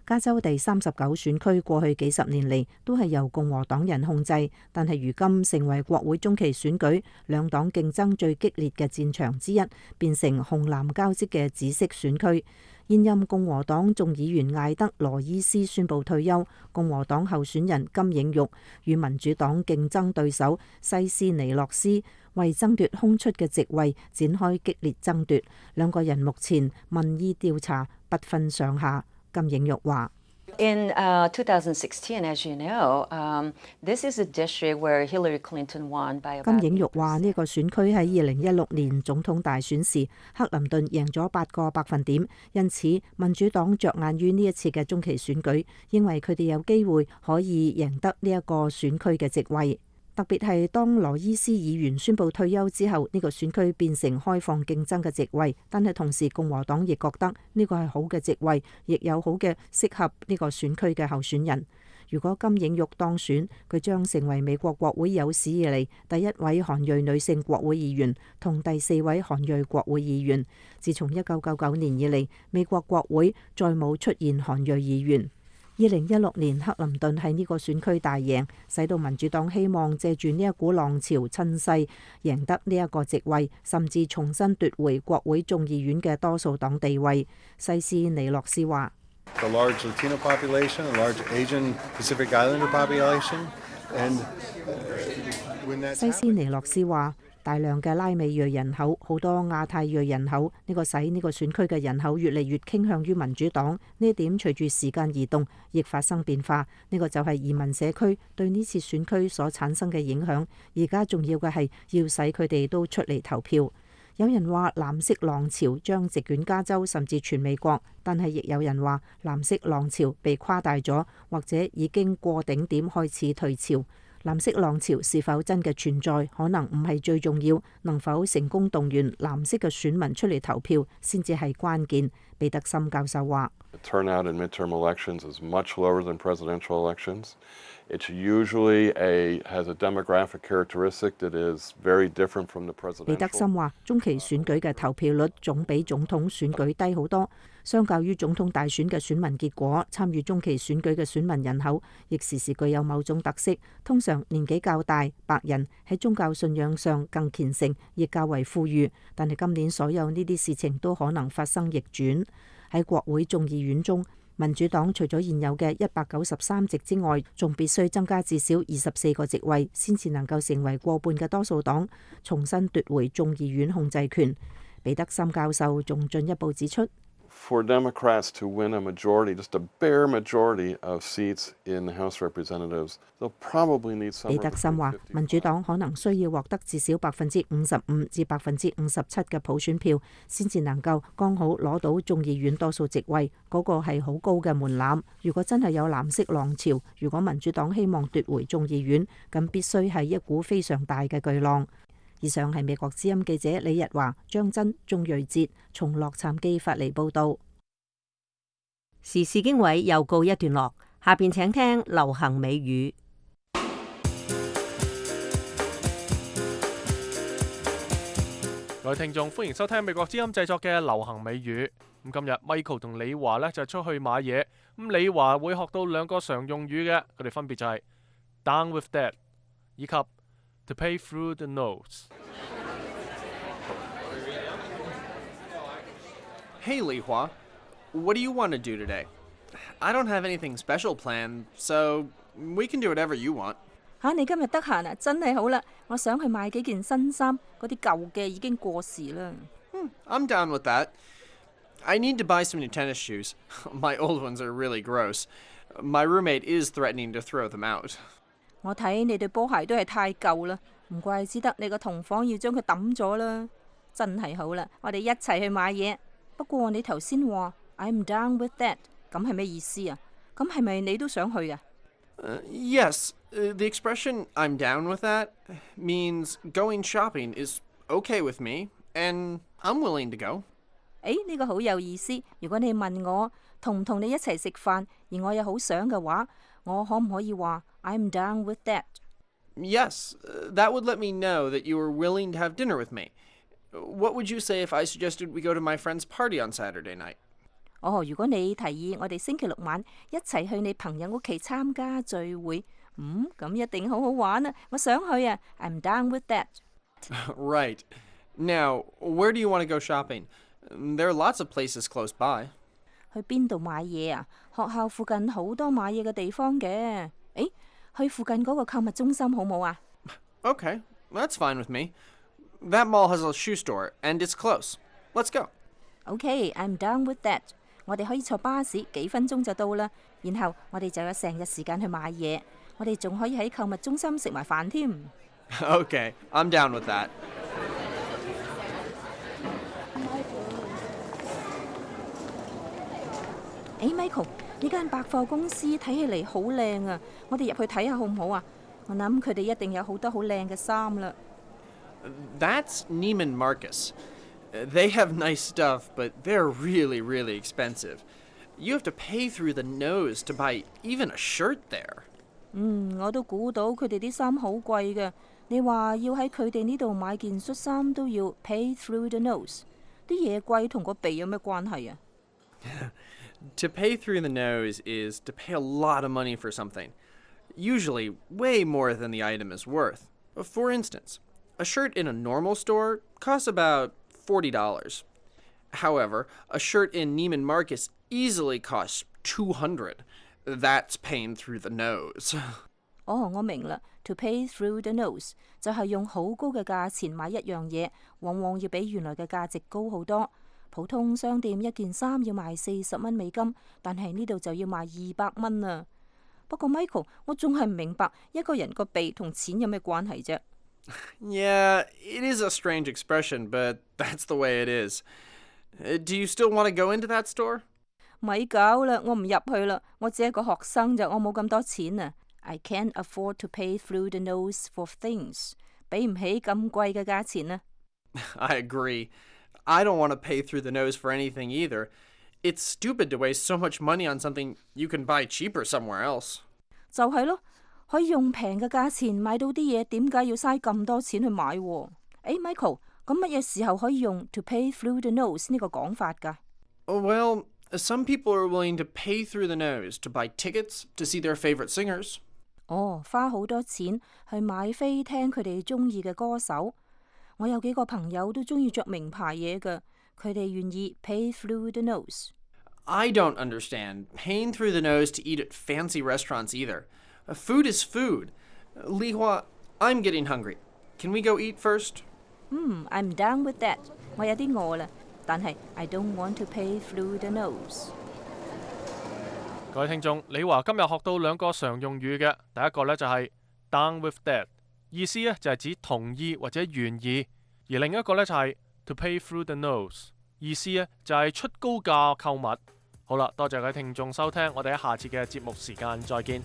加州第39選區過去幾十年嚟都係由共和黨人控制，但係如今成為國會中期選舉兩黨競爭最激烈嘅戰場之一，變成紅藍交織嘅紫色選區。現任共和黨眾議員艾德羅伊斯宣布退休，共和黨候選人金映玉與民主黨競爭對手西斯尼諾斯為爭奪空出嘅席位展開激烈爭奪，兩個人目前民意調查不分上下。金映玉話：In 2016, as you know, this is a district where Hillary Clinton won by about. 金映玉話呢個選區喺2016年總統大選時，克林頓贏咗8個百分點，因此民主黨着眼於呢一次嘅中期選舉，認為佢哋有機會可以贏得呢一個選區嘅席位。特別係當羅伊斯議員宣布退休之後，呢個選區變成開放競爭嘅席位，但係同時共和黨亦覺得呢個係好嘅席位，亦有好嘅適合呢個選區嘅候選人。如果金映玉當選，佢將成為美國國會有史以嚟第一位韓裔女性國會議員，同第4位韓裔國會議員。自從1999年以嚟，美國國會再冇出現韓裔議員。2016年克林頓喺呢個選區大贏，使到民主黨希望借住呢一股浪潮趁勢贏得呢一個席位，甚至重新奪回國會眾議院嘅多數黨地位。西斯尼諾斯話：The large Latino population, a large Asian Pacific Islander population, and 西斯尼諾斯話：大量嘅拉美裔人口，好多亞太裔人口，呢個使呢個選區嘅人口越嚟越傾向於民主黨。呢一點隨住時間移動，亦發生變化。呢個就係移民社區對呢次選區所產生嘅影響。而家重要嘅係要使佢哋都出嚟投票。有人話藍色浪潮將席捲加州甚至全美國，但係亦有人話藍色浪潮被誇大咗，或者已經過頂點開始退潮。藍色浪潮是否真嘅存在，可能唔係最重要，能否成功動員藍色嘅選民出嚟投票先至係關鍵。彼得森教授話：Turnout in midterm elections is much lower than presidential elections. It usually has a demographic characteristic that is very different from the presidential. 彼得森話：中期選舉嘅投票率總比總統選舉低好多，相較於總統大選嘅選民結果，參與中期選舉嘅選民人口亦時時具有某種特色。通常年紀較大、白人，喺宗教信仰上更虔誠，亦較為富裕。但係今年所有呢啲事情都可能發生逆轉。喺國會眾議院中，民主黨除咗現有嘅193席之外，仲必須增加至少24個席位，先至能夠成為過半嘅多數黨，重新奪回眾議院控制權。彼得森教授仲進一步指出：For Democrats to win a majority, just a bare majority of seats in the House Representatives, they'll probably need some. 彼得森話：民主黨可能需要獲得至少55%至57%嘅普選票，先至能夠剛好攞到眾議院多數席位。嗰個係好高嘅門檻。如果真係有藍色浪潮，如果民主黨希望奪回眾議院，咁必須係一股非常大嘅巨浪。以上係美國之音記者李日華、張真、鍾瑞哲從洛杉磯發嚟報道。時事經緯又告一段落，下邊請聽流行美語。位聽眾，歡迎收聽美國之音製作嘅流行美語。咁今日 Michael 同李華呢就出去買嘢。咁李華會學到兩個常用語嘅，佢哋分別就係 down with that 以及 to pay through the nose。 Hey, Li Hua. What do you want to do today? I don't have anything special planned, so we can do whatever you want. 你今日得閒啊，真係好啦！我想去買幾件新衫，嗰啲舊嘅已經過時啦。I'm down with that. I need to buy some new tennis shoes. My old ones are really gross. My roommate is threatening to throw them out. 我睇你對波鞋都係太舊啦，唔怪之得你個同房要將佢抌咗啦。真係好啦，我哋一齊去買嘢。不過你頭先話 I'm down with that， 咁係咩意思啊？咁係咪你都想去啊？Yes, the expression I'm down with that means going shopping is okay with me, and I'm willing to go. 呢個好有意思。如果你問我同唔同你一齊食飯，而我又好想嘅話，我可唔可以話 I'm down with that？ Yes, that would let me know that you were willing to have dinner with me. What would you say if I suggested we go to my friend's party on Saturday night? 如果你提議我哋星期六晚一齊去你朋友屋企參加聚會，咁一定好好玩啊！我想去啊 ，I'm down with that. Right. Now, where do you want to go shopping? There are lots of places close by. 去邊度買嘢啊？學校附近好多買嘢嘅地方嘅。去附近嗰個購物中心好冇啊？ Okay, that's fine with me. That mall has a shoe store, and it's close. Let's go. Okay, I'm down with that. 我哋可以坐巴士，幾分鐘就到啦。然後我哋就有成日時間去買嘢。我哋仲可以喺購物中心食埋飯添。Okay, I'm down with that. Michael， 呢間百貨公司睇起嚟好靚啊！我哋入去睇下好唔好啊？我諗佢哋一定有好多好靚嘅衫啦。That's Neiman Marcus. They have nice stuff, but they're really, really expensive. You have to pay through the nose to buy even a shirt there. 我都估到佢哋啲衫好貴嘅。你話要喺佢哋呢度買件恤衫都要 pay through the nose， 啲嘢貴同個鼻有咩關係啊？To pay through the nose is to pay a lot of money for something, usually way more than the item is worth. For instance, a shirt in a normal store costs about $40. However, a shirt in Neiman Marcus easily costs $200. That's paying through the nose. 我明啦。To pay through the nose 就係用好高嘅價錢買一樣嘢，往往要比原來嘅價值高好多。普通商店一件衫要賣40蚊美金，但係呢度就要賣200蚊啊！不過 Michael， 我仲係唔明白一個人個鼻同錢有咩關係啫？Yeah, it is a strange expression, but that's the way it is. Do you still want to go into that store? 咪搞啦，我唔入去啦，我只係個學生咋，我冇咁多錢啊。I can't afford to pay through the nose for things， 俾唔起咁貴嘅價錢啊。I agree. I don't want to pay through the nose for anything either. It's stupid to waste so much money on something you can buy cheaper somewhere else. 就係咯，可以用平嘅價錢買到啲嘢，點解要嘥咁多錢去買？Michael， 咁乜嘢時候可以用 to pay through the nose 呢個講法㗎？Well, some people are willing to pay through the nose to buy tickets to see their favorite singers. 花好多錢去買飛聽佢哋中意嘅歌手。我有幾個朋友都中意着名牌嘢㗎，佢哋願意 pay through the nose。I don't understand paying through the nose to eat at fancy restaurants either. Food is food. Li Hua, I'm getting hungry. Can we go eat first? I'm down with that. 我有啲餓啦，但係 I don't want to pay through the nose。各位聽眾，李華今日學到兩個常用語嘅，第一個呢就係 down with that， 意思呢就係指同意或者願意；而另一個呢就係 to pay through the nose， 意思呢就係出高價購物。好啦，多謝各位聽眾收聽，我哋喺下次嘅節目時間再見。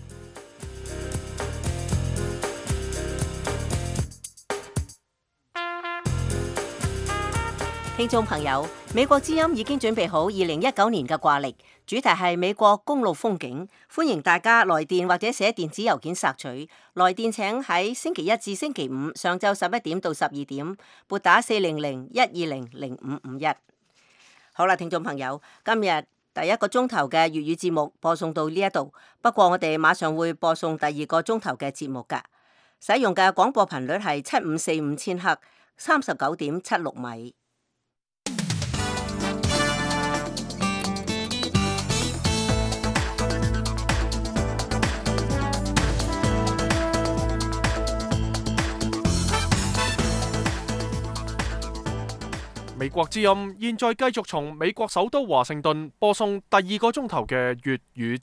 聽眾朋友，美國之音已經準備好2019年嘅掛曆，主題係美國公路風景，歡迎大家來電或者寫電子郵件索取。來電請喺星期一至星期五上晝11點到12點，撥打400-120-0551。好啦，聽眾朋友，今日第一個鐘頭嘅粵語節目播送到呢一度，不過我哋馬上會播送第二個鐘頭嘅節目㗎。使用嘅廣播頻率係7545千赫，39.76米。美國之音現在繼續從美國首都華盛頓播送第二個鐘頭嘅粵語節目。